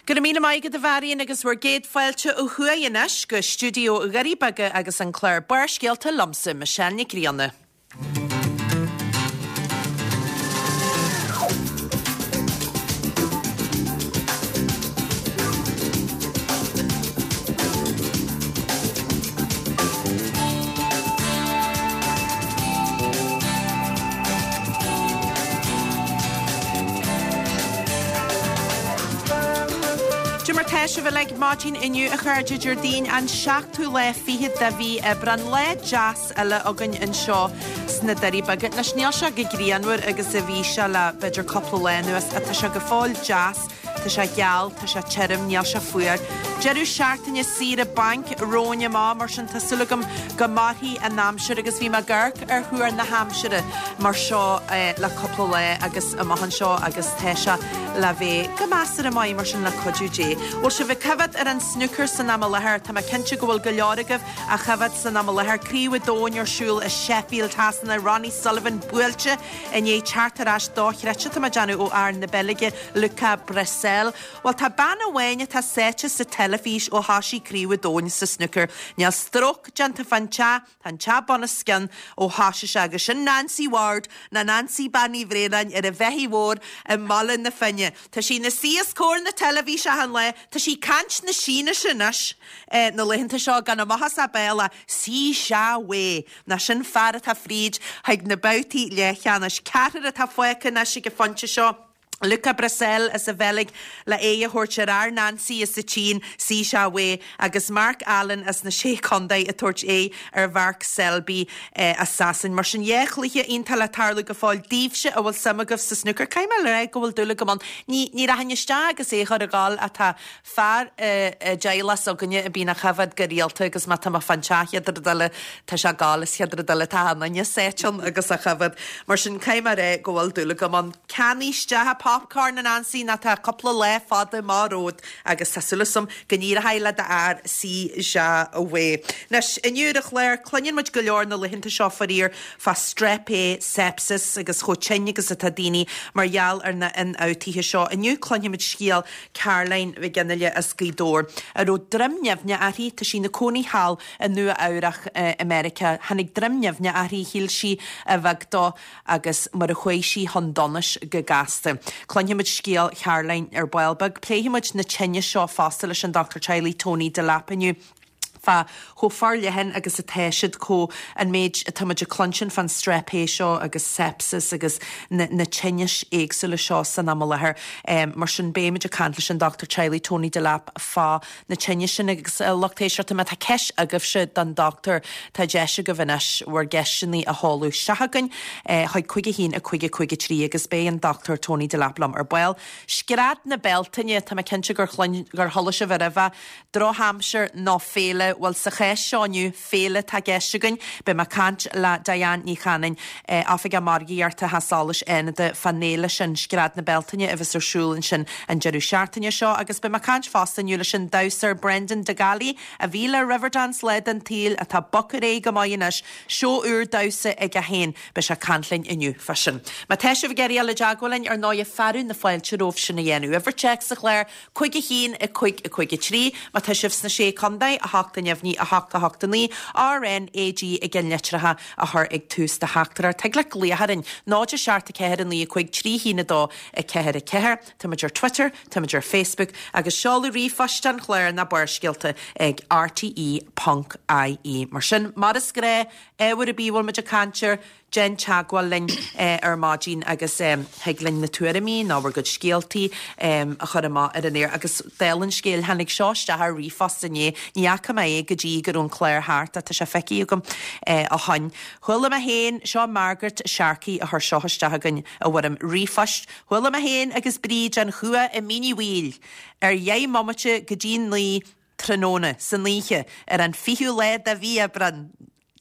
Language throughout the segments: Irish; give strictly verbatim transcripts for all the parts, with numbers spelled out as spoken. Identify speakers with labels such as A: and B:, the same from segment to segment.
A: Go raibh míle maith agat a Mharion agus bhur gcéad fáilte ó thuaidh anois go stiúideo Dhoirí Beaga agus an clár Barrscéalta liomsa Michelle Nic Grianna. Cad é mar tá sibh uilig maidin inniu a chairde Déardaoin an seachtú lá fichead de mhí Aibreán lá deas eile againn anseo sna Doirí Beaga. Anois níl sé chomh grianmhar agus a bhí sé le b'fhéidir cúpla lá anuas ach tá sé go fóill deas Tá sé geal, tá sé tirim, níl sé fuar. Deireadh seachtaine saoire bainc romhainn amach, mar sin tá súil agam go mairfidh an aimsir agus bhí mé ag amharc ar thuar na haimsire mar seo le cúpla lá agus amach anseo agus tá sé le bheith go measartha maith mar sin le cuidiú Dé. Bhfuil sibh ag coimhéad ar an snúcar san am i láthair? Tá mé cinnte go bhfuil go leor agaibh á choimhéad san am i láthair. Craobh an Domhain ar siúl i Sheffield Shasana, Ronnie Sullivan buailte i ndiaidh teacht ar ais dochreidte tá mé ag déanamh ó fhear na Beilge Luca Brecel. Bhuel tá bean amháin atá sáite sa teilifís ó thoisigh Craobh an Domhain sa snúcar. Níl stróc déanta fán teach, tá an teach bunoscionn ó thoisigh sé agus sin Nancy Ward nó Nancy Bean Uí Bhraonáin ar an Bheithígh Mhór i mBaile na Finne. Tá sí ina suí os comhair na teilifíse achan lá, tá sí ag caint na Sínise anois na laethanta seo gan amach as a béal ach Si Jia Wei. Nó sin fear atá fríd chuig na babhtaí leathcheannais. Ceathrar atá fágtha anois ag an phointe seo. Luca Brecel as an Bheilg le aghaidh a thabhairt ar fhear Nancy as an tSín, Si Jia Wei, agus Mark Allen as na Sé Chontae ag tabhairt aghaidh ar Mhark Selby as Sasain. Mar sin, dhá chluiche iontach le tarlú go fóill daoibhse a bhfuil suim agaibh sa snúcar. Caithfidh mé a rá go bhfuil dúil agam ann. Ní, ní rachainn isteach agus é a chur ag gabháil ach tá fear i dteaghlach s'againne a bíonn á choimhéad go rialta agus má tá mé fán teach chéad rud eile tá sé ag gabháil is chéad rud eile tá achan duine sáite ann agus á choimhéad. Mar sin caithfidh mé a rá go bhfuil dúil agam ann. Ceannaigh isteach an popcorn a Nancy nó tá cúpla lá fada amach romhat agus tá súil agam go n-éireoidh le d'fhear Si Jia Wei. Anois, inniu ar an chlár, cluineann muid go leor na laethanta seo faraor fá Strep A, sepsis agus chomh tinn agus atá daoine mar gheall ar na hionfhabhtuithe seo. Inniu cluinfimid scéal Caroline Mhic Fhionnghaile as Gaoth Dobhair, a raibh droim nimhneach uirthi, tá sí ina cónaí thall i Nua Eabhrach i Meiriceá. Tháinig droim nimhneach uirthi, shíl sí a bheag dó agus mar a chuaigh sí chun donais go gasta. Cluinfimid scéal Charoline ar ball beag. Pléifimid na tinnis seo fosta leis an Dochtúir Teaghlaigh Tony Delap inniu. Fá chomh forleathan agus atá siad, chomh an méid atá muid ag cluinstin fán Strep A seo agus sepsis agus na na tinnis éagsúla seo san am i láthair. Mar sin beimid ag caint leis an Dochtúir Teaghlaigh Tony Delap fá na tinnis sin agus a lucht éisteachta má tá ceist agaibhse don dochtúir tá deis agaibh anois bhur gceisteanna a sheoladh isteach chugainn chuig cúig a haon a cúig a cúig a trí agus beidh an Dochtúir Tony Delap liom ar ball. Scread na Bealtaine, tá mé cinnte gur chluin gur chuala sibh roimhe. Drochaimsir nó féile? Bhuel, sa chás seo inniu, féile atá i gceist againn. Beidh mé ag caint le Diane Ní Chanainn, Oifigeach Margaíochta Theach Solais Fhánada, fán fhéile sin, Scread na Bealtaine, a bheas ar siúl ansin an deireadh seachtaine seo. Agus beidh mé ag caint fosta inniu leis an damhsóir Brendan Dagali, a bhí le Riverdance lá den tsaol, atá bogtha ar aghaidh go maith anois, seó úr damhsa aige féin. Beidh sé ag caint linn inniu fá sin. Má tá sibh ag iarraidh dul i dteagmháil linn, ar ndóighe, fearadh na fáilte romhaibh sin a dhéanamh. Uimhir téacs sa chlár, cúig a haon, a cúig, a cúig a trí. Má tá sibh sna Sé Contae, a hocht a neamhní, a hocht a hocht a naoi, R N A G i gceann litreacha a chur ag tús do theachtaireacht. Thig leat glaoch orainn, náid a seacht a ceathair a naoi a cúig trí haon a dó a ceathair a ceathair. Táimid ar Twitter, táimid ar Facebook agus seoladh ríomhphoist an chláir ná Barrscéalta ag R T E ponc I E. Mar sin, mar is gnách, ábhar ar bith a bhfuil muid ag caint air, Déan teagmháil linn ar maidin agus thig linn na tuairimí nó bhur gcuid scéaltaí a chur amach ar an aer. Agus dála an scéil, tháinig seo isteach ar ríomhphost inné, ní fhaca mé é go dtí go raibh an clár thart ach tá sé feicthe agam ó shoin. Chuala mé féin, seo Margaret Sharkey a chuir seo isteach chugainn i bhfoirm ríomhphoist, chuala mé féin agus Bríd an chumha i Mín Uí Bhaoill ar dheich mbomaite go dtí naoi tráthnóna san oíche ar an fichiú lá de mhí Aibreán.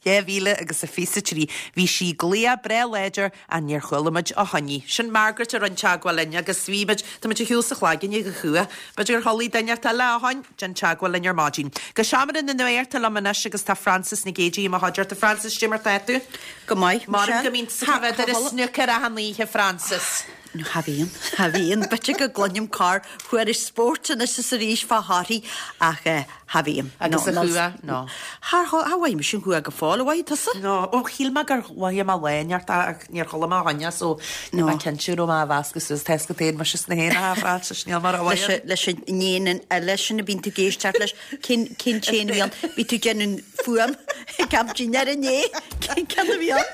A: dhá mhíle agus a fiche a trí. Bhí sí glaoch breá láidir ach níor chuala muid ó shoin í. Sin Margaret a rinne teagmháil linn agus bhí muid, tá muid ar shiúl sa chlaiginne go chumha. B'fhéidir gur chuala duine inteacht eile ó shoin, déan teagmháil linn ar maidin. Go seomra na nuachta liom anois agus tá Frances Nic Géadaigh i mo chuideachta. Frances, cad é mar tá tú?
B: Go maith,
A: Maram go mbíonn tú ag coimhéad ar an snúcar achan oíche, Frances.
B: No, cha bhíonn, cha bhíonn. B'fhéidir go gcluinim corr-thuairisc spóirt anois is arís fá thorthaí ach cha bhím.
A: Agus an chumha? No.
B: Char char mhothaigh mise an chumha go fóill, ar mhothaigh tusa?
A: No, ó shíl mé gur mhothaigh mé lá inteacht ach níor chuala mé ó shoin é so níl mé cinnte an raibh mé á mheascadh suas tá a fhios agat féin mise sna héin a Frances, níl mar a
B: Leis leis an éan eile sin a bíonn tú ag éisteacht leis, cén cén t-éan a bhí ann? Bhí tú ag déanamh fuaim ag am dinnéir inné, cén ceann a bhí ann?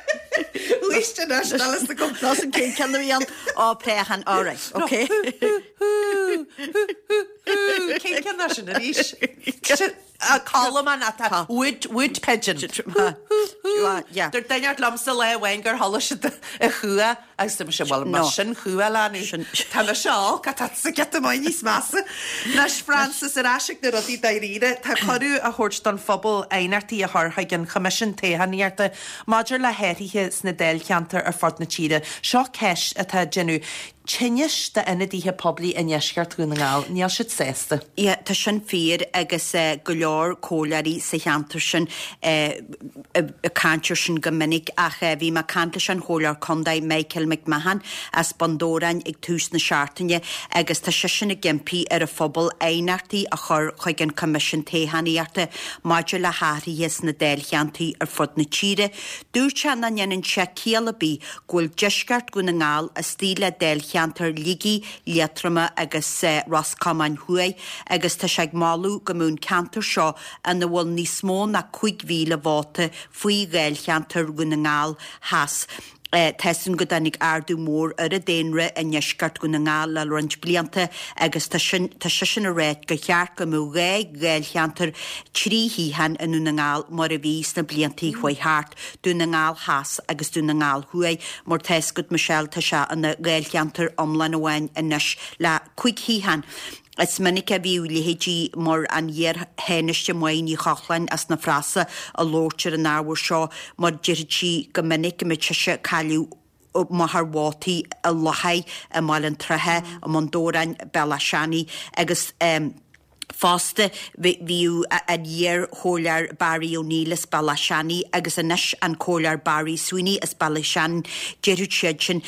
A: Éist anois, níl fhios agam.
B: Ná san cén ceann a bhí ann? Ó, préachán, all right, okay.
A: Cén ceann é sin arís? Colmán atá wood wood pigeon.
B: Yeah.
A: Dúirt duine liomsa lá amháin gur chuala siad an chumha agus dúirt mise bhuel mar sin chumha leanú. Tá mise olc tá sa giota maith níos measa. Anois Frances ar ais ag na rudaí dáiríre, tá cuireadh á thabhairt don phobal aighneachtaí a chur chuig an Choimisiún Toghchánaíochta maidir le hathruithe sna dáilcheantair ar fud na tíre. Seo ceist atá ag déanamh tinnis d'ionadaithe poiblí i ndeisceart Dhún na nGall. Níl siad sásta.
B: Yeah, tá sin fíor agus go leor comhairleoirí sa cheantar sin ag caint air sin go minic ach bhí mé ag caint leis an chomhairleoir contae Michael McMahon as Bun Dobhráin ag tús na seachtaine agus tá seisean ag impí ar an phobal aighneachtaí a chur chuig an Coimisiún Toghchánaíochta maidir le hathruithe sna dáilcheantair ar fud na tíre. Dúirt sé nach ndéanann sé ciall ar bith go bhfuil deisceart Dhún na nGall istigh le dáilcheantar Shligigh, Liatroma agus Ros Comáin Thuaidh agus tá sé ag moladh go mbeadh an ceantar seo ina bhfuil níos mó ná cúig mhíle vóta faoi dháilcheantar Dhún na nGall Theas. Tá sin go dtáinig ardú mór ar an daonra i ndeisceart Dhún na nGall le roinnt blianta agus tá sin tá seisean ag rá gur cheart go mbeadh dhá dháilcheantar trí shuíochán i nDún na nGall mar a bhí sna blianta a chuaigh thart, Dún na nGall Theas agus Dún na nGall Thuaidh. Mar tá fhios agat Michelle tá sé ina dháilcheantar iomlán amháin anois le cúig shuíochán. Is minic a bhíodh leithéidí mar an iar-Thánaiste Máire Ní Chochláin as na Frasa ag labhairt ar an ábhar seo mar déarfadh sí go minic go mbeadh sise ag cailleadh machaire vótaí i Lochaigh, i mBaile an Troithe, i mBun Dobhráin, Bealach Seanaidh agus fosta bhíodh an iar-chomhairleoir Barry O'Neill as Bealach Seanaidh agus anois an comhairleoir Barry Sweeney as Bealach Seanaidh, déarfadh siad sin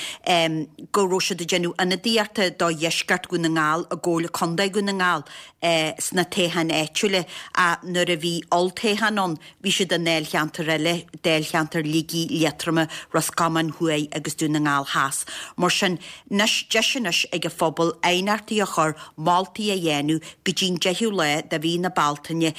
B: go raibh siad ag déanamh ionadaíochta do dheisceart Dhún na nGall i gComhairle Contae Dhún na nGall sna toghcháin áitiúla ach nuair a bhí olltoghchán ann bhí siad i ndáilcheantar eile, dáilcheantar Shligigh, Liatroma, Ros Comáin Thuaidh agus Dún na nGall Theas. Mar sin, anois, deis anois ag an phobal aighneachtaí a chur, moltaí a dhéanamh go dtí'n deichiú lá de mhí na Bealtaine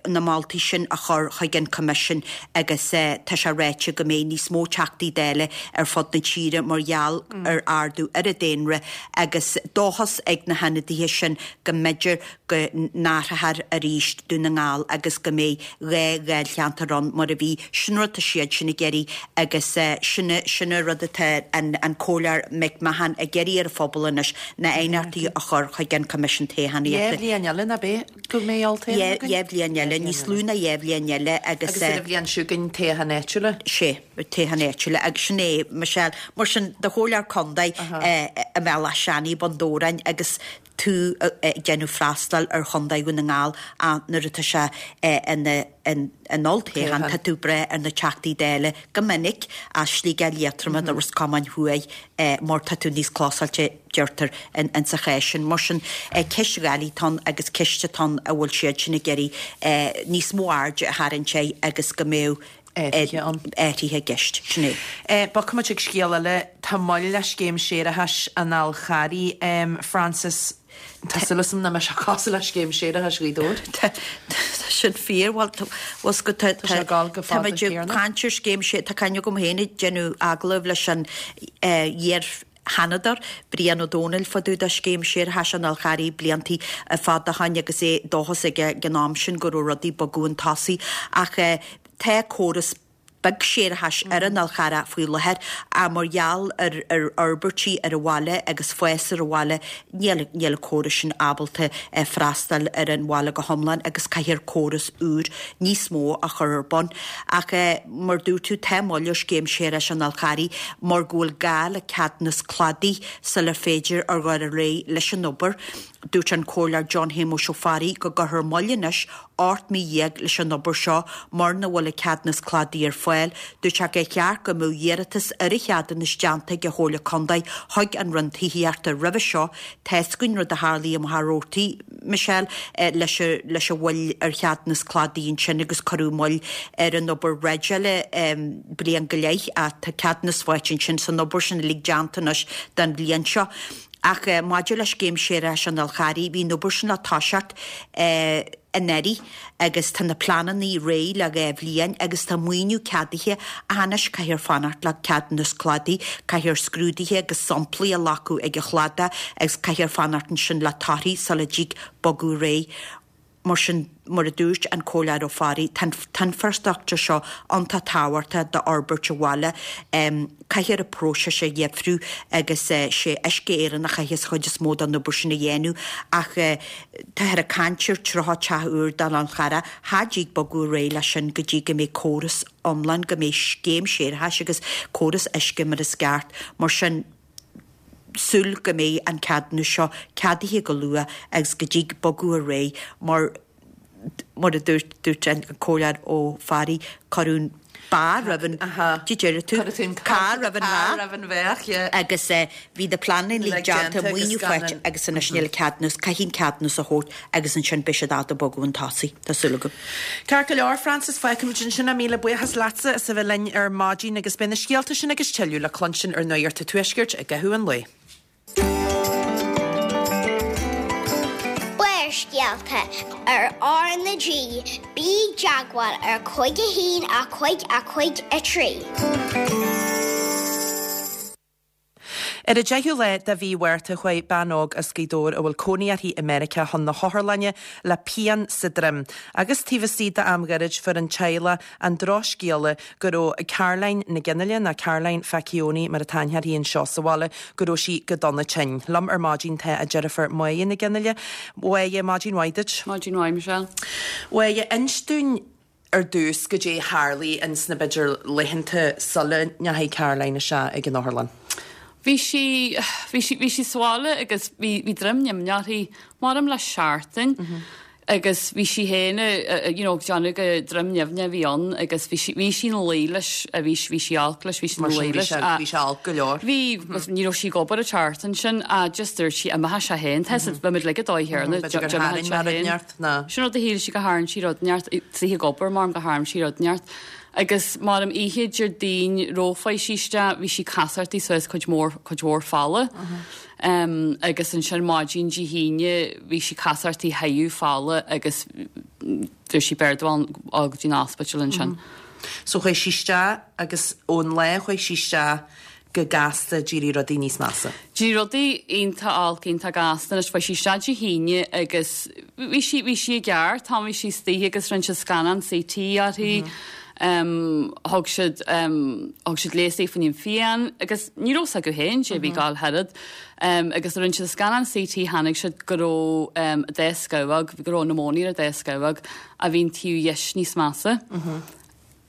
B: na moltaí sin a chur chuig an Coimisiún agus tá sé ráite go mbeidh níos mó Teachtaí Dála ar fud na tíre mar gheall ar ardú ar an daonra agus dóchas ag na hionadaithe sin go mb'fhéidir go n-athrófar arís Dún na nGall agus go mbeidh dhá dháilcheantar ann mar a bhí. Sin rud atá siad sin ag iarraidh agus sin sin an rud atá an an Comhairleoir McMahon ag iarraidh ar an phobal anois na aighneachtaí a chur chuig an Coimisiún
A: Toghchánaíochta. Dhá bhliain eile, nach ea, go mbeidh olltoghchán againn?
B: Dhá bhliain eile, níos lú ná dhá bhliain eile agus.
A: Agus ar an bhliain seo chugainn toghchán áitiúla.
B: Sé, toghchán áitiúla agus sin é, Michelle. Mar sin, do chomhairleoir contae i mBealach Seanaidh, Bun Dobhráin agus tú ag déanamh freastal ar Chontae Dhún na nGall ach nuair atá sé ina ina olltoghchán tá tú ag brath ar na Teachtaí Dála go minic as Sligeach Liatroma nó Ros Comáin Thuaidh mar tá tú níos closáilte deirtear in sa chás sin. Mar sin ceist dhoiligh atá ann agus ceist atá ann a bhfuil siad sin ag iarraidh níos mó airde a tharraingt air agus go mbeadh
A: athruithe ann.
B: Athruithe i gceist, sin
A: é. Bogfaidh muid chuig scéal eile. Tá moill le scéim séarachais an Fháil Charraigh, Frances. Tá súil agam nach mbeidh sé cosúil le scéim séarachais Ghaoth Dobhair.
B: Tá sin fíor. Bhuel, tá bhfuil go tá
A: Tá sé ag gabháil go
B: tá
A: fada
B: muid ag
A: céanna.
B: caint ar scéim sé tá cuimhne agam féin ag déanamh agallamh leis an iar Sheanadóir Brian Ó Domhnaill fá dtaobh de scéim séarachais an Fháil Charraigh bliantaí fada ó shoin agus é dóchas aige ag an am sin go raibh rudaí ag bogadh chun tosaigh ach tá córas beag séarachais ar an Fhál Charrach faoi láthair ach mar gheall ar ar fhorbairtí ar an bhaile agus fás ar an bhaile níl níl an córas sin ábalta freastal ar an bhaile go hiomlán agus caithfear córas úr níos mó a chur ar bun. Ach mar dúirt tú tá moill ar scéim séarachais an Fháil Charraigh mar go bhfuil gá le ceadúnas cladaigh sular féidir a dhul ar aghaidh leis an obair. Dúirt an Comhairleoir John Shéamuis Ó Fearraigh go gcuirfear moill anois ocht mí dhéag leis an obair seo mura bhfuil an ceadúnas cladaigh ar fáil. Dúirt sé gur cheart go mbeadh iarratas ar an cheadúnas déanta ag an Chomhairle Contae chuig an Roinn Tithíochta roimhe seo. Tá's againn rud a tharlaigh i Machaire Rabhartaigh, Michelle, leis leis an mhoill ar cheadúnas cladaigh ansin agus cuireadh moill ar an obair dreideála bliain go leith ach tá ceadúnas faighte ansin san obair sin uilig déanta anois don bhliain seo. Ach maidir le scéim séarachais an Fháil Charraigh, bhí an obair sin le toiseacht anuraidh agus tá na pleananna réidh le dhá bhliain agus tá maoiniú ceadaithe ach anois caithfear fanacht le ceadúnas cladaigh, caithfear scrúduithe agus samplaí a ghlacadh ag an chladach agus caithfear fanacht ansin le torthaí sula dtig bogadh ar aghaidh. Mar sin, mar a dúirt an Comhairleoir Ó Fearraigh, tá an t-infreastruchtúr seo iontach tábhachtach d'fhorbairt an bhaile. Caithfear an próiseas a dheifriú agus sé Uisce Éireann a chaithfeas an chuid is mó den obair sin a dhéanamh ach táthar ag caint ar tríocha teach úr don Fhál Charrach, cha dtig bogadh ar aghaidh leis sin go dtí go mbeidh córas iomlán, go mbeidh scéim séarachais agus córas uisce mar is ceart. Mar sin, súil go mbeidh an ceadúnas seo ceadaithe go luath agus go dtig bogadh ar aghaidh mar mar a dúirt dúirt an Comhairleoir Ó Fearraigh, cuireadh an ba roimh an Did deir tú carr roimh an
A: carr roimh an bheach, yeah.
B: Agus bhí na pleananna uilig déanta, maoiniú faighte agus anois níl an ceadúnas, caithfidh an ceadúnas a thabhairt agus ansin beidh siad ábalta bogadh chun tosaigh, tá súil agam.
A: Ceart go leor, Frances, fágfaimid ansin é. Míle buíochas leatsa as a bheith linn ar maidin agus beidh na scéalta sin agus tuilleadh le cluinstin ar Nuacht an Tuaiscirt i gcaitheamh an lae.
C: Barrscéalta ar R na G, bí i dteagmháil ar cúig a haon a cúig a cúig a trí.
A: Ar an deichiú lá de mhí Mhárta chuaigh bean óg as Gaoth Dobhair a bhfuil cónaí uirthi i Meiriceá chun na hotharlainne le pian sa droim. Agus taobh istigh d'am gairid fuair an teaghlach an drochscéala go raibh Caroline Nic Fhionnghaile, nó Caroline Facchione mar atá aithne uirthi anseo sa bhaile, go raibh sí go dona tinn. Liom ar maidin tá a deirfiúr Máire Nic Fhionnghaile. Máire, maidin mhaith duit.
D: Maidin mhaith, Michelle.
A: Máire, inis dúinn ar dtús goidé a tharlaigh ins na b'fhéidir laethanta sula ndeachaigh Caroline isteach ag an otharlann.
D: Bhí sí, bhí sí, bhí sí sa bhaile agus bhí, bhí droim nimhneach uirthi, maram le seachtain agus bhí sí féin, you know, ag déanamh gur droim nimhneach a bhí ann agus bhí sí, bhí sí ina luí leis, bhí, bhí sí olc leis, bhí sí ina luí leis.
A: Bhí sé olc go leor.
D: Bhí, agus ní raibh sí ag obair an tseachtain sin, ach just dúirt sí, imeoidh sé féin, tá a bhí muid uilig ag dóigh chéanna,
A: B'fhéidir gur tharraing sé rud inteacht, ná.
D: Sin rud a shíl sí gur tharraing sí rud inteacht, is í ag obair maram gur tharraing sí rud inteacht. Agus maram oíche Déardaoin roimh chuaigh sí isteach, bhí sí casartaí suas cuid mhór, cuid mhór falla. Um, agus ansin maidin Dé hAoine bhí sí casartaí thaobh falla agus dúirt sí b'fhearr dul go dtí an ospidéal ansin.
A: So chuaigh sí isteach agus ón lá a chuaigh sí isteach go gasta d'éirigh rudaí níos measa.
D: D'éirigh rudaí iontach olc, iontach gasta anois. Chuaigh sí isteach Dé hAoine agus bhí sí, bhí sí i gceart, tá, bhí sí istigh agus rinne siad scannán C T uirthi. Thug siad, thug siad leigheas di fá choinne an phian agus ní raibh 's acu féin sé bhí ag gabháil thairid. Agus rinne siad scannán C T tháinig siad go raibh a dá scamhóg, go raibh pneumonia ar a dá scamhóg a bhí an taobh dheis níos measa.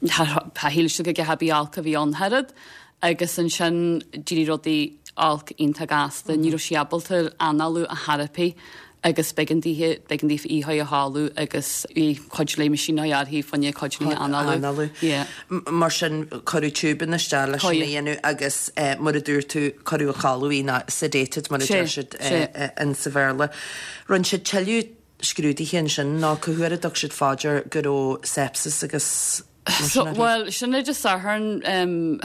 D: Shíl siad go gceapfaí olc a bhí ann thairid agus ansin d'éirigh rudaí olc iontach gasta. Ní raibh sí ábalta análú ar chor ar bith agus b'éigean daoithe, b'éigean daofa í a chodladh agus bhí cuid le meaisín uirthi fá choinne cuid le análú.
A: Análú.
D: Yeah.
A: Mar sin cuireadh tiúbanna isteach leis sin a dhéanamh agus mar a dúirt tú cuireadh a chodladh í nó sedated mar a deir siad in sa Bhéarla. Rinne siad tuilleadh scrúduithe ansin nó cá huair a dtug siad fá dear go raibh sepsis agus mar sin uirthi?
D: Bhuel, sin é Dé Sathairn,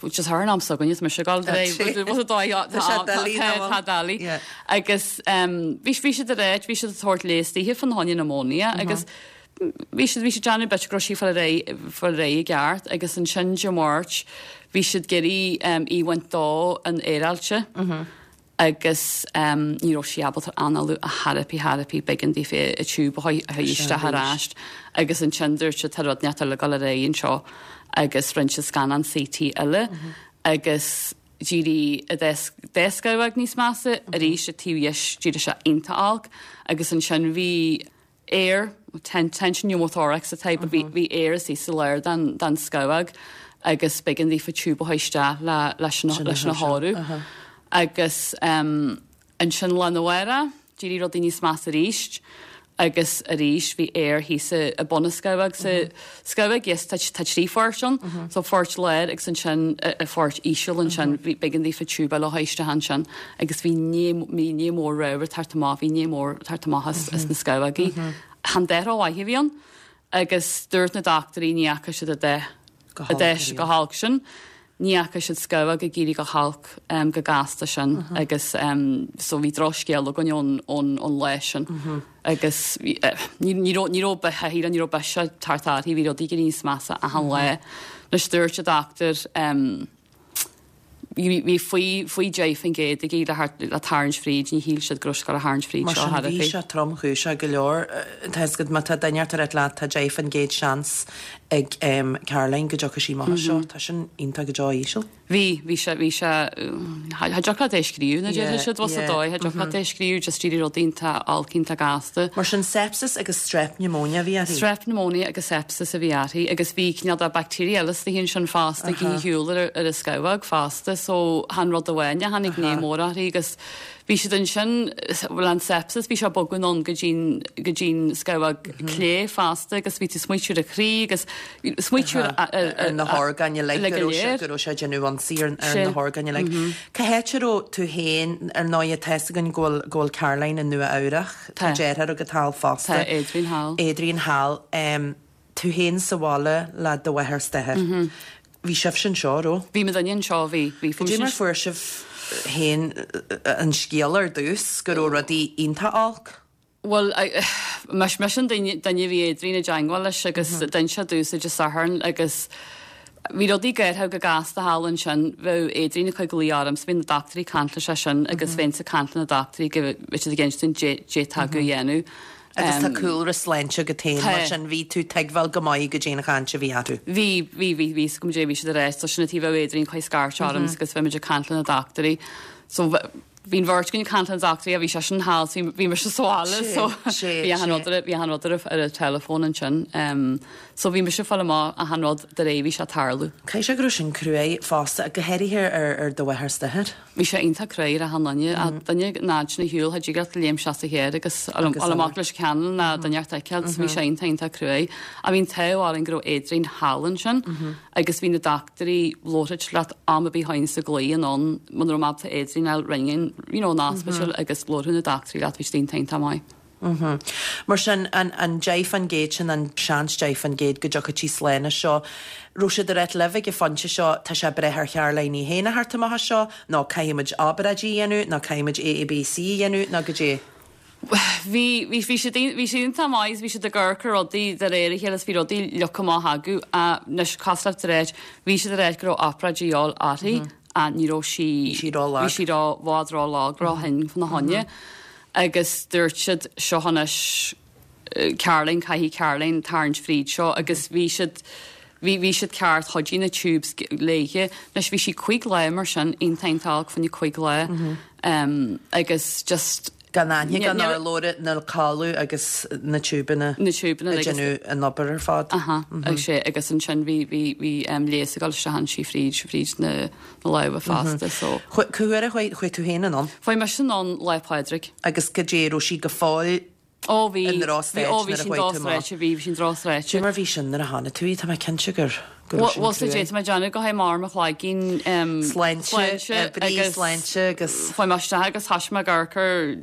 D: Dé Sathairn am s'againne, tá mise ag dul de réir,
A: Tá sé doiligh nó
D: tá doiligh. Agus bhí bhí siad ar bhí siad ag tabhairt leigheas dithe fá choinne pneumonia agus bhí siad bhí siad déanamh b'fhéidir go raibh sí ag fáil ar aghaidh fáil ar aghaidh i gceart agus ansin Dé Máirt bhí siad ag iarraidh í a bhaint dó an aeráilte. Agus ní raibh sí ábalta análú ar chor ar bith chor ar bith b'éigean daofa an tiúb a chur isteach ar ais agus ansin dúirt siad tá rud inteacht eile ag dul ar aghaidh anseo agus rinne siad scannán C T eile agus d'éirigh a dá scamhóg níos measa arís an taobh dheis d'éirigh sé iontach olc agus ansin bhí aer tension pneumothorax atá but bhí bhí aer istigh sa lár den den scamhóg agus b'éigean daofa tiúb a chur isteach le leis an leis an chóiriú. Agus ansin lá arna mhárach D'éirigh rudaí níos measa arís agus arís bhí aer thíos i bun na scamhóg sa scamhóg yes tá tá trí pháirt ann so pháirt láir agus ansin a pháirt íseal ansin bhí b'éigean daofa tiúb a chur isteach ansin agus bhí ní bhí ní mór ramhar ag teacht amach bhí ní mór ag teacht amach as as na scamhógaí. Chan dath rómhaith a bhí ann agus dúirt na dochtúirí ní fhaca siad a dhath a dhath chomh holc sin. Ní fhaca siad scamhóg ag éirí chomh holc um, chomh gasta sin uh -huh. agus um, so bhí drochscéal againn ón, ón, ón lá sin. Uh -huh. Agus uh, ní ní raibh bethe ní raibh biseach thart bhí rudaí níos measa achan uh -huh. lá. Anois dúirt an dochtúir um, bhí faoi faoi deich faoin gcéad ag le le tarraingt fríd ní shíl siad go raibh a tharraingt fríd
A: Mar
D: seo
A: sin
D: thar
A: bhí sé tromchúiseach go leor tá go má tá duine tar leat tá deich faoin gcéad seans ag um, Caroline go dtiocfaidh sí amach seo tá sin iontach go deo íseal.
D: Bhí bhí sé bhí sé ha deacair é scríú na
A: Yeah,
D: dé siad was
A: yeah,
D: dóigh ha deacair é scríú just dí rudaí iontach olc iontach gasta.
A: Mar sin sepsis agus strep pneumonia bhí uirthi.
D: Strep pneumonia agus sepsis a bhí uirthi agus bhí cineál de bacteria eile sna sin fosta ag shiúl ar ar a scamhóg fosta so chan rud amháin a tháinig ní mór uirthi agus bhí siad ansin bhfuil an sepsis bhí sé bogadh ann go dtí'n go dtí'n scamhóg clé fosta agus bhí tú smaoitiú ar a croí agus smaoitiú
A: ar na horgáin uilig
D: go
A: go raibh sé
D: léir.
A: go raibh sé déanamh ionsaí ar ar
D: Sé.
A: na horgáin uilig. Cá háit a raibh tú féin ar ndóigh tá a fhios againn go bhfuil go bhfuil Caroline i Nua Eabhrac Tá
D: Tá.
A: deartháir agat thall fosta.
D: Tá Adrian thall.
A: Adrian thall um, tú féin sa bhaile le do mháthair is d'athair. Bhí sibh anseo raibh?
D: Bhí muid anseo bhí bhí
A: Cad é mar fuair sibh féin an scéal ar dtús go raibh rudaí iontach olc?
D: Well mis mis an duine bhí Adrian i dteagmháil leis agus d'inis sé domhsa Dé Sathairn agus bhí rudaí géartha go gasta thall ansin bheadh Adrian ag cur glao orm, so bhí na dochtúirí ag caint leis sin agus bheinn ag caint leis na dochtúirí go bhí siad ag insint dé tá go dhéanamh.
A: Agus tá cúlra sláinte agat féin mar
D: Tá.
A: sin bhí tú tuigbheáil go maith go dtéana chaint a bhí acu.
D: Bhí bhí bhí bhí go dé bhí siad arís so sin tí bheadh Adrian chuig scairt orm agus bhí muid ag caint leis na dochtúirí. So bhí'n bheirt againn ag caint leis na dochtúirí a bhí sé sin thall so bhí mise sa bhaile
A: Sé,
D: so
A: sé,
D: bhí an
A: sé.
D: rud bhí an rud ar an telefón ansin. Um, so bhí mise fáil amach achan rud de réir bhí sé tarlú.
A: Caithfidh sé go raibh sin cruaidh fosta go háirithe ar ar do mháthair is d'athair.
D: Bhí sé iontach cruaidh ar achan duine a duine náid na hiúil ha ddígat léim se a chéir agus amach leis cean na duine feiceáil, bhí sé iontach iontach cruaidh. A bhí'n t-ádh linn go raibh Adrian thall ansin agus bhí na dochtúirí labhairt leat am a bhí hain sa glao an ann man raibh mé Adrian el ringin you know, an hospital agus labhair na dochtúirí leat bhí sé iontach iontach maith.
A: Mm Mar sin an, an deich faoin gcéad sin an seans deich faoin gcéad go dtiocfaidh sí slán as seo. Raibh siad ar libh ag an phointe seo tá sé breith ar Charoline í féin a theacht amach as seo, nó caithfimid obráid a dhéanamh, nó caithfimid A, B, C a dhéanamh, nó go dé.
D: Bhí bhí bhí siad bhí siad iontach maith bhí siad ag amharc ar rudaí de réir a chéile is bhí rudaí leagtha amach acu a anois cosúil de réir bhí siad ag rá go raibh obráid de dhíobháil uirthi a ní raibh sí
A: Bhí sí rólag.
D: Bhí sí ró bhád rólag róthinn fána choinne agus dúirt siad seo anois Caroline caithfidh Caroline tarraingt fríd seo agus bhí siad bhí bhí siad ceart chuidí na tubes léithe anois bhí sí cúig lá mar sin iontach fána cúig lá um, agus just
A: Gan aine gan
D: Ní-
A: ar lóra na cáú agus na tiúbanna
D: na tiúbanna
A: a
D: agus-
A: déanamh an obair ar fad.
D: Aha, agus sé agus ansin bhí bhí bhí um, léas ag dul isteach sí fríd fríd na na lámha fosta so.
A: Cá huair a chuaigh tú féin anonn
D: Chuaigh mise anonn Lá Pádraig.
A: agus go dé raibh sí go fóill
D: Ó bhí
A: In drochstaid
D: bhí- ó bhí
A: nuair a
D: sin
A: chuaigh tú amach.
D: drochstaid bhí bhí sin drochstaid.
A: Dé mar bhí sin nuair a tháinig tú tá mé cinnte gur gur raibh sin
D: Bhfuil sa
A: cruaidh.
D: dé mé déanamh go mar mo chloigeann
A: Sláinte, brí sláinte agus
D: Chuaigh mé isteach agus thosaigh mé ag amharc ar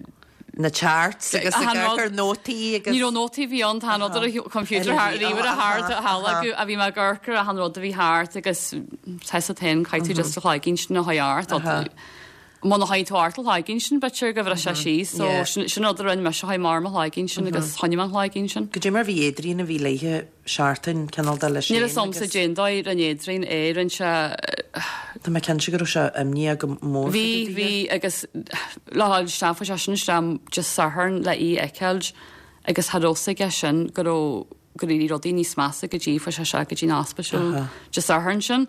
A: na charts agus
D: Achan
A: ag
D: rud-
A: ar nótaí agus
D: Ní raibh nótaí bhí an tá ar computer ríomhaire thart thall a bhí mé ag amharc ar achan rud a bhí thart agus te sa tain caithfidh tú just a chloigeann sin a thabhairt. Má na haid tú art chloigeann sin b'fhéidir go bhfuil sé síos, so
A: Yeah.
D: sin sin rud a rinne mise chuaigh mar mo chloigeann sin agus choinnigh an chloigeann sin.
A: Go dé mar bhí Adrian a bhí léithe seachtain cineál de leis
D: Níl a fhios a'msa cén dóigh rinne Adrian é rinne sé
A: Tá mé cinnte go raibh sé imníoch go mór.
D: Bhí bhí agus le isteach sé sin isteach just Satharn le í a fheiceáil agus cha raibh aige sin go raibh go raibh rudaí níos measa go dtí fuair sé sé go dtí an ospidéal just Satharn sin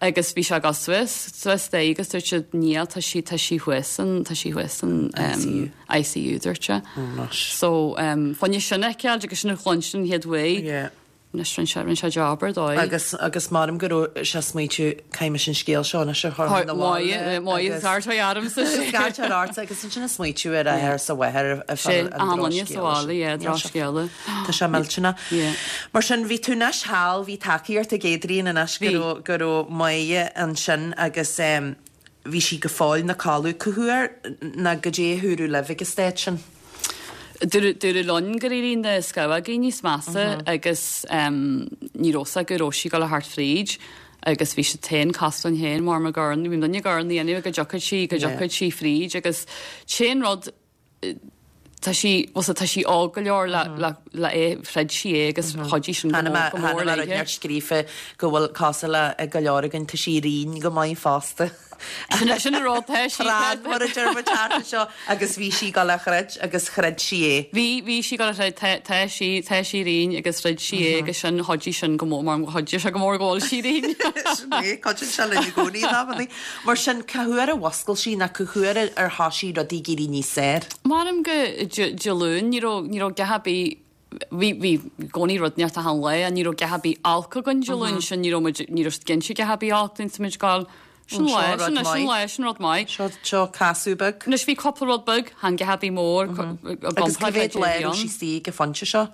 D: agus bhí sé go suas suas dé agus dúirt siad níl tá sí tá sí thuas an tá sí thuas an um, I C U dúirt sé.
A: Anois.
D: So um, fáinne sin a fheiceáil agus sin a chluinstin chéad uair
A: Yeah.
D: Anois rinne sé rinne sé job ar dóigh.
A: Agus agus maram go raibh sé smaoitiú caithfidh mise an scéal seo anois a chur na
D: Máigh máigh scar armsa
A: Scar art agus ansin a smaoitiú ar a athair sa mháthair a
D: Sé amanna sa bhaile yeah drochscéala.
A: Tá sé millteanach.
D: Yeah.
A: Mar sin bhí tú anois thall, bhí tacaíocht ag Adrian anois go
D: Bhí.
A: raibh go raibh Máire ansin agus um, bhí sí go fóill ina codladh. Cá huair ná goidé a dúradh libh ag an staid sin.
D: Dúradh linn gur éirigh na scamhógaí níos measa agus um, ní raibh go raibh sí ag dul thart fríd agus bhí sé féin cosúil linn féin mar mar gur bhí duine gur dhéanamh go dtiocfadh sí go dtiocfadh sí fríd agus téan rud eh, tá sí tá sí óg go leor le le le é throid sí é agus chuidigh sin go mór go mór léithe.
A: neart scríofa go bhfuil cosúil le go leor againn tá sí righin go maith fosta.
D: Sin sin an rud tá sí
A: Tráth mar a deir muid thart seo agus bhí sí ag dul a throid agus throid sí é.
D: Bhí bhí sí go tá tá sí tá sí righin agus throid sí é agus sin chuidigh sin go mór mar chuidigh sé go mór go bhfuil sí righin.
A: Cuidíonn sé linn i gcónaí amannaí. Mar sin cá huair a mhuscail sí ná cá huair ar thosaigh rudaí ag éirí níos fearr.
D: Maram go Dé Luain ní raibh ní raibh a dhath ar bith bhí bhí gcónaí rud neart a han le ní raibh a dhath ar bith olc againn Dé Luain sin ní raibh muid ní raibh cinnte a dhath ar bith olc sa muid gáil sin
A: Seo
D: le
A: rud
D: sin sin
A: maith.
D: le sin rud maith.
A: Seo seo casadh beag.
D: Anois bhí cúpla rud beag chan a dhath ar bith mór
A: Agus cá mhéad lá raibh sí istigh ag an phointe seo.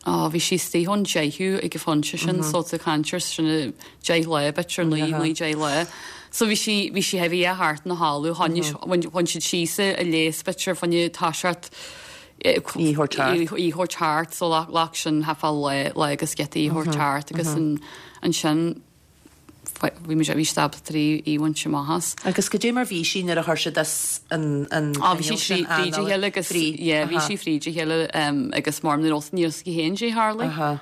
D: Á bhí sí istigh ón deichiú ag an phointe sin so sa cancer sin deich lá b'fhéidir naoi naoi deich lá. So bhí sí bhí sí heavy a thart na hálú bhain siad síos a léas b'fhéidir fá choinne toiseacht
A: Í thabhairt thart.
D: í thabhairt thart so le le sin hefa le le agus get í thabhairt thart agus an ansin bhí mé bhí stab trí í bhain amach as.
A: Agus goidé mar bhí sí nuair a chuir siad as an an
D: Á bhí sí trí fríd a chéile agus yeah, bhí sí fríd a chéile um, agus mar ní ní go héin sé Harley.
A: Aha.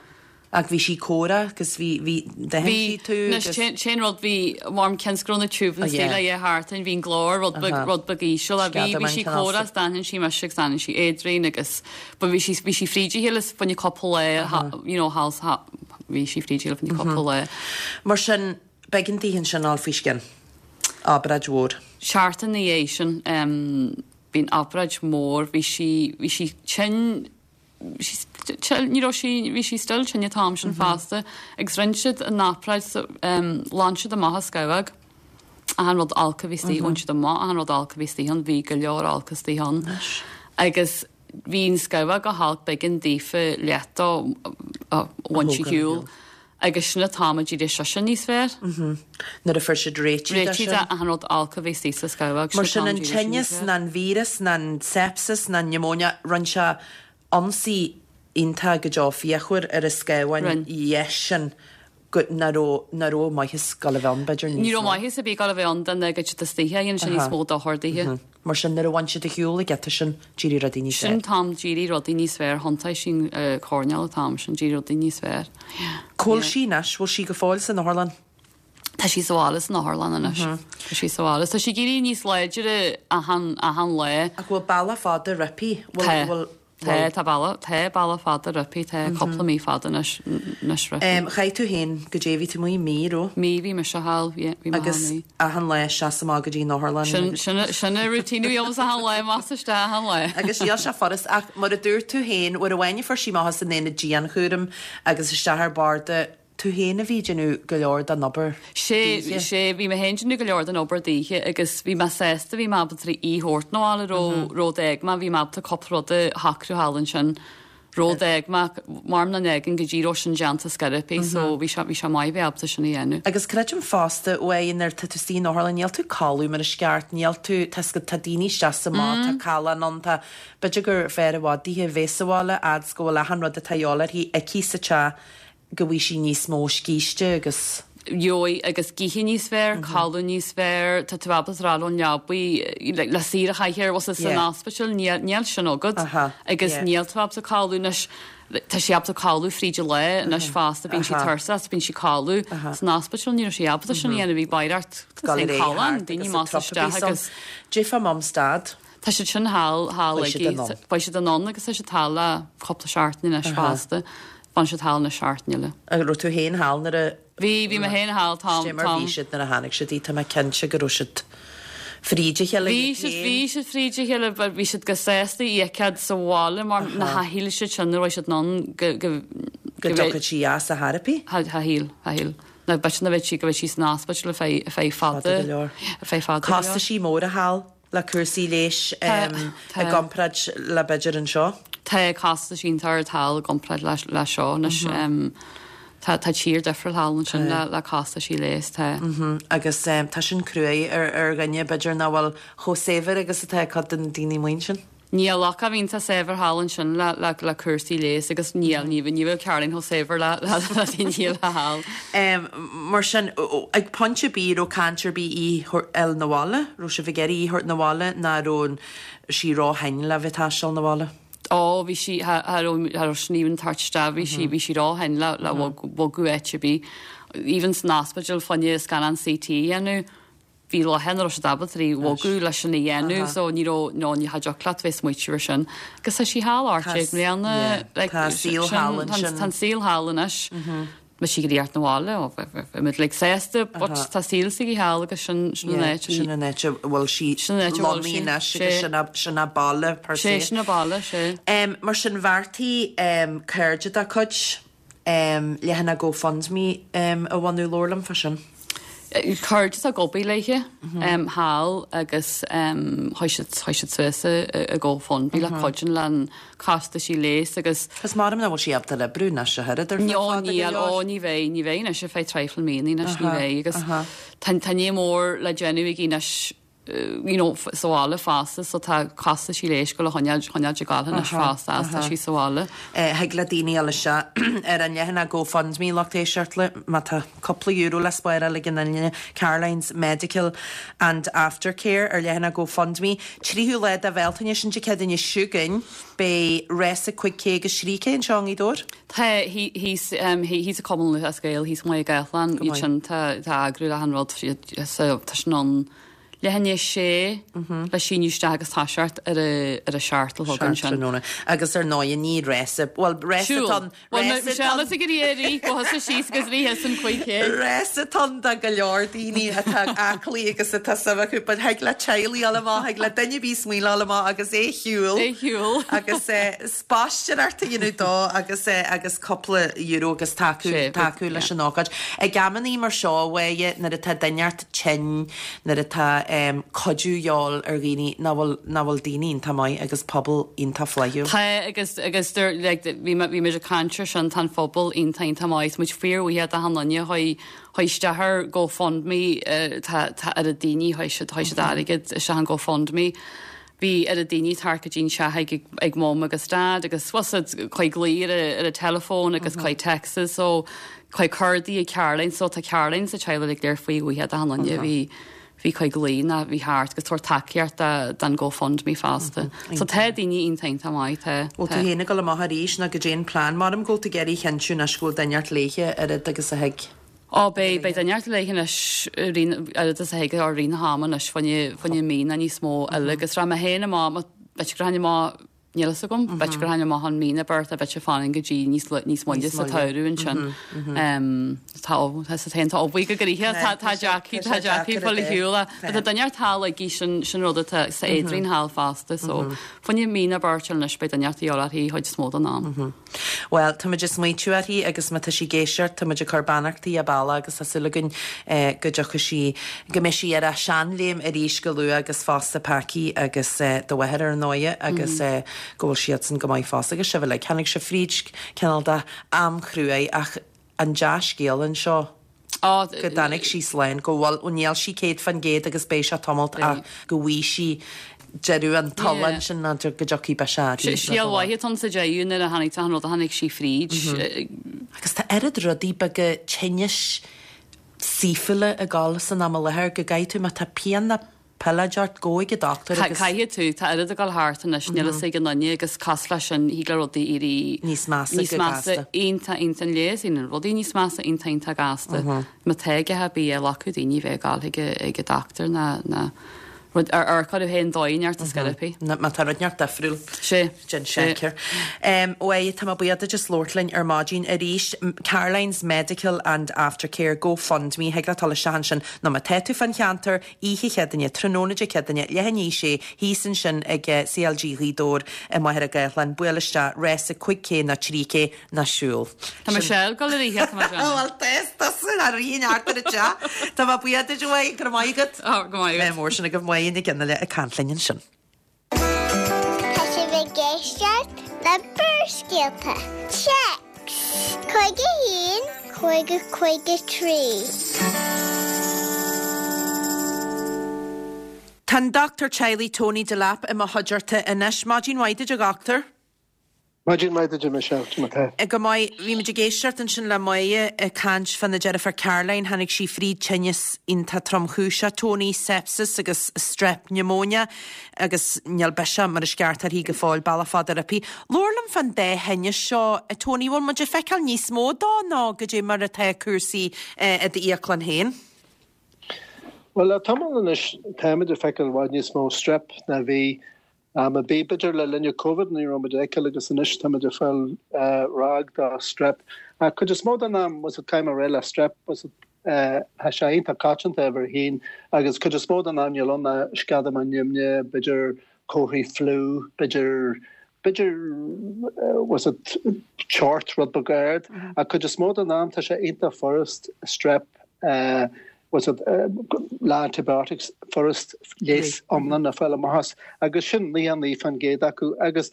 A: Ach bhí sí córa agus bhí bhí
D: Bhí
A: sí tú agus-
D: sin rud bhí mar cén scrona tube
A: Oh, yeah.
D: le é hartain bhín glór rud
A: Aha.
D: rud beag íseal a bhí
A: Sceadamán
D: bhí sí
A: cineál
D: córa dan sí me dan sí Adrian agus ba bhí sí bhí sí fríd a chéile fá choinne cúpla lá you know hals bhí sí fríd a chéile fá choinne cúpla lá.
A: Mar sin b'éigean daoithe sin fháil faoi scian. Obráid mhór.
D: Seachtain na dhiaidh sin um, bhí'n obráid mór bhí sí bhí sí tinn ní raibh sí bhí sí still tinn an t-am sin fosta agus rinne siad an obráid so, um, ghlan siad amach an scamhóg achan rud olc a bhí istigh bhain siad amach achan rud olc a bhí istigh ann bhí go leor olc istigh ann agus bhí an scamhóg go holc b'éigean daofa leat a bhain sí
A: thógáil
D: shiúl agus sin an t-am a d'éirigh sise níos fearr
A: Nuair a fuair siad réitigh de
D: réitigh
A: sin.
D: de achan rud olc a bhí istigh sa scamhóg
A: Mar sin an tinneas ná an víreas ná an sepsis ná an pneumonia rinne sé ionsaí iontach go deo fíochmhar ar an scamhán
D: Rinne.
A: dheis sin go ná raibh ná raibh maitheas ag dul a bheith ann b'fhéidir
D: Ní
A: níos
D: raibh
A: mó.
D: maitheas ar bith ag dul a bheith ann den go istigh dhéan sin níos mó dochar daoithe.
A: Mar sin nuair a bhain siad ar shiúl ag geta sin d'éirigh rudaí níos
D: Sin
A: fearr.
D: t-am d'éirigh rudaí níos fearr thiontaigh sin coirnéal an t-am sin d'éirigh rudaí níos fearr.
A: Cá bhfuil sí anois, bhfuil sí go fóill san otharlann.
D: Tá sí sa bhaile san otharlann anois. Tá sí sa bhaile. Tá sí ag éirí níos láidre achan achan lá.
A: Ach bhfuil bealach fada roimpi?
D: Tá.
A: Bhfuil
D: Tá tá bealach tá bealach fada roimpi tá cúpla mí fada anois anois roimpi.
A: Um, Chaith tú féin goidé bhí tú amuigh mí raibh
D: Mí bhí mise thall bhí mé
A: agus
D: mí.
A: achan lá seas amach go dtí an otharlann.
D: Sin sin sin a routine bhí achan lá mas isteach achan lá.
A: Agus níl sé furast ach mar a dúirt tú féin uair amháin a fuair sí amach san aonad dianchúraim agus isteach ar barda tú féin a bhí déanamh go leor den obair.
D: Sé
A: daoithe.
D: sé bhí mé féin go leor den obair daoithe agus bhí mé sásta bhí mé ábalta í thabhairt 'na bhaile ró rud éag má bhí mé ábalta cúpla rud a shocrú thall ansin rud éag má mar na n-éigean go dtí sin déanta scarapí so bhí sé bhí sé maith bheith ábalta sin a dhéanamh.
A: Agus creidim fosta uaidh nuair tá tú san otharlann níl tú codladh mar is ceart níl tú tá tá daoine isteach amach tá callán ann tá b'fhéidir gur fearr i bhfad daoithe bheith sa bhaile fhad go bhfuil achan rud atá uirthi aici sa teach go bhfuil sí níos mó scíste agus
D: Gheobhaidh agus githe níos fearr, codladh níos fearr, tá tú ábalta rá ón leabaidh le le saoire chaithir was san
A: Yeah.
D: hospital níl níl sin agat
A: Aha,
D: agus
A: yeah.
D: níl tú ábalta codladh anois tá sí ábalta codladh fríd an lá anois fosta bíonn sí
A: Aha.
D: tuirseach bíonn sí codladh san hospital ní raibh sí ábalta sin a dhéanamh bhí baireacht callán daoine más isteach agus
A: Goidé fá mam 's dad.
D: Tá siad sin thall thall
A: Beidh siad anonn.
D: Beidh siad anonn agus tá siad thall le cúpla seachtain anois fosta. Fan siad thall na seachtain eile.
A: Agus raibh tú féin thall nuair a
D: Bhí bhí mé féin thall t-am
A: Goidé mar bhí siad nuair a tháinig siad í tá mé cinnte go raibh siad fríd a chéile
D: Bhí siad bhí siad fríd a chéile but bhí siad go sásta í a fheiceáil sa bhaile mar na hathíle siad sin nuair siad non go go
A: Go dtiocfaidh sí as a therapy?
D: Cha shíl, cha shíl. Na b'fhéidir nach mbeidh sí go mbeidh sí san ospidéal ar feadh ar feadh fada.
A: Fada go leor.
D: Ar feadh fada go leor.
A: Costaisí móra thall le cúrsaí leighis i gcomparáid le b'fhéidir anseo?
D: Tá costaisí iontach ard thall i gcomparáid le le seo anois. Tá tá tír difriúil thall ansin le le costaisí leighis tá.
A: Agus tá sin cruaidh ar ar dhuine b'fhéidir nach bhfuil chomh saibhir agus atá cuid de na daoine amuigh ansin.
D: Níl ach a bhíonn tá saibhir thall ansin le le le cúrsaí leighis agus níl ní ní bhfuil Caroline chomh saibhir le le le daoine eile thall.
A: Mar sin, ag pointe ar bith raibh caint ar bith í fháil 'na bhaile, raibh sibh ag iarraidh í thabhairt 'na bhaile ná raibh sí ró-thinn le bheith taisteal 'na bhaile?
D: Ó bhí sí cha raibh cha raibh sí even tabhairt isteach bhí sí bhí sí ró-thinn le le bogadh áit ar bith. Even san ospidéal fá choinne scannán CT a dhéanamh bhí lá cheana raibh siad ábalta í bhogadh leis sin a dhéanamh so ní raibh no ní cha dtiocfadh leat bheith smaoitiú ar sin. Agus tá sí thall ocht déag mbliana like
A: Tá saol thall ansin.
D: Tá an saol thall anois. Bhí sí ag iarraidh 'na bhaile ó bhí muid like sásta but tá saol s'aici thall agus sin sin an áit
A: Sin an áit a bhfuil sí
D: Sin an áit a bhfuil sí.
A: lonnaithe anois agus sin a sin a baile per
D: Sé
A: se.
D: sin a baile sé.
A: Mar sin bheartaigh cairde dá cuid leathanach GoFundMe a bhunú labhair liom fá sin.
D: Cairde atá ag obair léithe thall agus chuaigh siad chuaigh siad suas i GoFundMe le cuidiú le costaisí leighis agus
A: Is mar nach bhfuil sí ábalta oibriú anois a thuilleadh ar feadh
D: No
A: fada go
D: níl
A: leor.
D: ó ní bheidh ní bheidh anois ar feadh traidhfil míonna anois ní bheidh agus tá tá ní mór le déanamh aici anois you know sa bhaile fosta so tá costaisí leighis go le choinneáil choinneáil ag gabháil anois fosta as tá sí sa bhaile.
A: Thig le daoine eile seo ar an leathanach GoFundMe lucht éisteachta má tá cúpla euro le spáráil ag an duine Caroline's Medical and Aftercare ar leathanach GoFundMe. Tríú lá de Bhealtaine sin Dé Céadaoine seo chugainn beidh rása cúig K agus trí K anseo i nGaoth Dobhair.
D: Tá thíos thíos i Cumann Lúthchleas Gael thíos amuigh i gCathlann iad sin tá tá eagrú le han rud so tá sin ann leath i ndiaidh a sé le síniú isteach agus toiseacht ar a ar a seacht a chlog ansin.
A: Tráthnóna. Agus ar ndóigh ní rása well rása atá
D: Michelle is ag iarraidh go thosaigh síos agus rith an cúig K.
A: Rása atá ann do go leor daoine atá aclaí agus atá suim acu, but thig le teaghlaigh dul amach, thig le duine ar bith smaoineamh dul amach agus é shiúl.
D: É shiúl.
A: Agus spaisteoireacht a dhéanamh dó agus agus cúpla euro agus tacú tacú leis an ócáid. Ag amannaí mar seo a Mháire nuair atá duine ort tinn, nuair atá um, cuidiú de dhíobháil ar dhaoine nach bhfuil nach bhfuil daoine iontach maith agus pobal iontach flaithiúil.
D: Tá agus agus like, bhí bhí muid ag caint air sin tá an phobal iontach iontach maith muid fíorbhuíoch d'achan duine chuaigh chuaigh isteach ar GoFundMe uh, tá tá ar a daoine chuaigh siad chuaigh siad airgead isteach an GoFundMe. Bhí ar a daoine tar go dtín se ag ag mom agus dad agus was chuaigh glaoch ar a ar a telefón agus chuaigh texts so chuaigh cártaí ag Caroline so tá Caroline sa teaghlach ag léir fíorbhuíoch d'achan duine bhí bhí chuaigh glaoch ná bhí thart agus tabhairt tacaíocht don GoFundMe fosta. So tá daoine iontach iontach maith tá.
A: Bhfuil tú féin ag dul amach arís ná goidé an plean mar am go bhfuil tú ag iarraidh a chinntiú anois go bhfuil duine ort léithe oiread agus a thig.
D: Ó beidh beidh duine ort léithe anois oiread is a thig ar rith na hama anois fá choinne fá choinne mí nó níos mó eile agus raibh mé féin amach b'fhéidir go rachainn amach níl a fhios agam b'fhéidir go rachainn amach an mí na beirt a b'fhéidir fanann go dtí níos níos moille sa tsamhradh ansin. Tá tá féin tá bhuí go gothe tá tá deacair tá deacair fáil ar shiúl tá duine ort thall aici sin sin rud atá sa Adrian thall fosta so fá choinne mí nó beirt anois beidh duine ort uirthi chuid is mó den am.
A: Well, tá muid ag smaointiú uirthi agus má tá sí ag éisteacht, tá muid ag cur beannachtaí a bealach agus tá súil againn go dtiocfaidh sí go mbeidh sí ar a seanléim arís go luath agus fosta Packy agus do mháthair ar ndóigh agus go bhfuil siadsan go maith fosta agus sibh uilig. Tháinig sibh fríd cineál de am chruaidh ach an dea-scéal anseo go dtáinig sí slán, go bhfuil ó níl sí céad faoin gcéad agus beidh sé tamalt ach go bhfaighidh sí deireadh an tsoláin sin ná go dtiocfaidh biseach arís.
D: Scéal mhaith atá sa deireadh nuair a tháinig tá an rud a tháinig sí fríd.
A: Agus tá oiread rudaí beaga tinnis saoithiúla ag dul san am i láthair go gcaithfidh tú má tá pian ná pilleid ort gabh chuig an dochtúir agus.
D: Caithfidh tú, tá oiread ag dul thart anois, níl fhios ag an duine agus cosúil leis sin thig le rudaí éirí
A: níos measa
D: níos measa iontach iontach an leigheas aon rudaí níos measa iontach iontach gasta. Má tá ag a bhí a ghlacadh daoine bheith ag dul chuig ag an dochtúir ná ná rud ar ar cad féin dóigh neart a scaipí.
A: Má tá rud neart difriúil.
D: Sé.
A: Déan seicear. Uaidh tá mé buíoch duit as labhairt linn ar maidin arís. Caroline's Medical and Aftercare GoFundMe thig leat dul isteach ansin nó má tá tú fan cheantar oíche Chéadaoine tráthnóna Dé Céadaoine leath i ndiaidh a sé thíos ansin ag CLG Ghaoth Dobhair i Machaire Gathlán buail isteach rása cúig K nó trí K nó siúl.
D: Tá Michelle ag dul ar oíche tá
A: Well tusa a rí neart ar an teach. Tá mé buíoch duit uaidh go raibh maith agat.
D: Go maith agat.
A: Mór sin agaibh Máire Nic Fhionnghaile ag caint linn ansin.
C: Tá sibh ag éisteacht le Barrscéalta. Téacs cúig a haon cúig a cúig a trí.
A: Tá an dochtúir teaghlaigh Tony Delap i mo chuideachta anois. Maidin mhaith duit a dhochtúir.
E: Maidin mhaith duit Michelle mar tá.
A: Go maith bhí muid ag éisteacht ansin le Máire ag caint fána deirfiúr Caroline tháinig sí fríd tinneas iontach tromchúiseach Tony sepsis agus strep pneumonia agus níl biseach mar is ceart uirthi go fóill bealach fada roimpi. Labhair liom fán dá thinneas seo a Tony bhfuil muid ag feiceáil níos mó dó ná goidé mar atá cúrsaí i d'íoclann féin.
E: Well le tamall anois táimid ag feiceáil i bhfad níos mó strep ná bhí am a bhí b'fhéidir le linn COVID ní raibh muid ag feiceáil agus anois táimid ag fáil ráig de strep. Ach cuid is mó den am was it caithfidh mé a rá le strep was it tá sé iontach coitianta uimhir a haon agus cuid is mó den am níl ann ná sceadamán nimhne, b'fhéidir comharthaí fliú, b'fhéidir b'fhéidir was it teocht rud beag ard. Ach cuid is mó den am tá sé iontach furast strep was it le antibiotics furast leigheas iomlán a fháil amach as agus sin naoi naoi faoin gcéad acu agus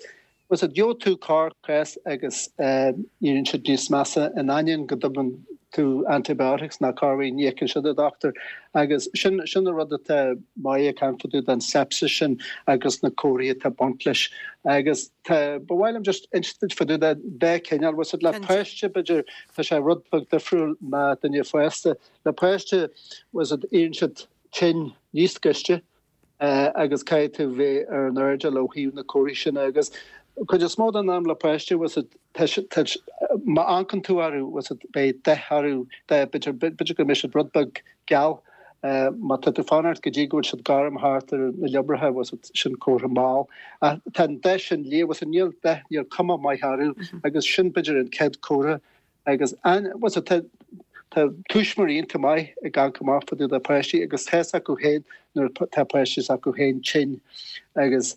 E: was it gheobhaidh tú corrchás agus éiríonn siad níos measa in ainneoin go dtugann tú antibiotics ná corruair ní íocann siad an dochtúir agus sin sin an rud atá Máire ag caint fá dtaobh den sepsis sin agus na comharthaí atá ag baint leis agus tá ba mhaith liom just insint duit fá dtaobh den dá chineál was it le páiste b'fhéidir tá sé rud beag difriúil ná duine fásta le páiste was it éiríonn siad tinn níos gaiste agus caithfidh tú bheith ar an airdeall ó thaobh na comharthaí sin agus cuid is mó den am le páiste was it má amharcann tú orthu was it beidh dath orthu b'fhéidir b'fhéidir go mbeidh siad rud beag geal má tá tú fanacht go dtí go bhfuil siad gorm thart ar na liobracha was it sin comhartha mall. Ach tá an dath sin liath was it níl dath níl cuma maith orthu agus sin b'fhéidir an chéad comhartha agus an was it tá tá tuismitheoirí iontach maith ag amharc amach fá dtaobh de páistí agus tá fhios acu féin nuair tá páistí s'acu féin tinn agus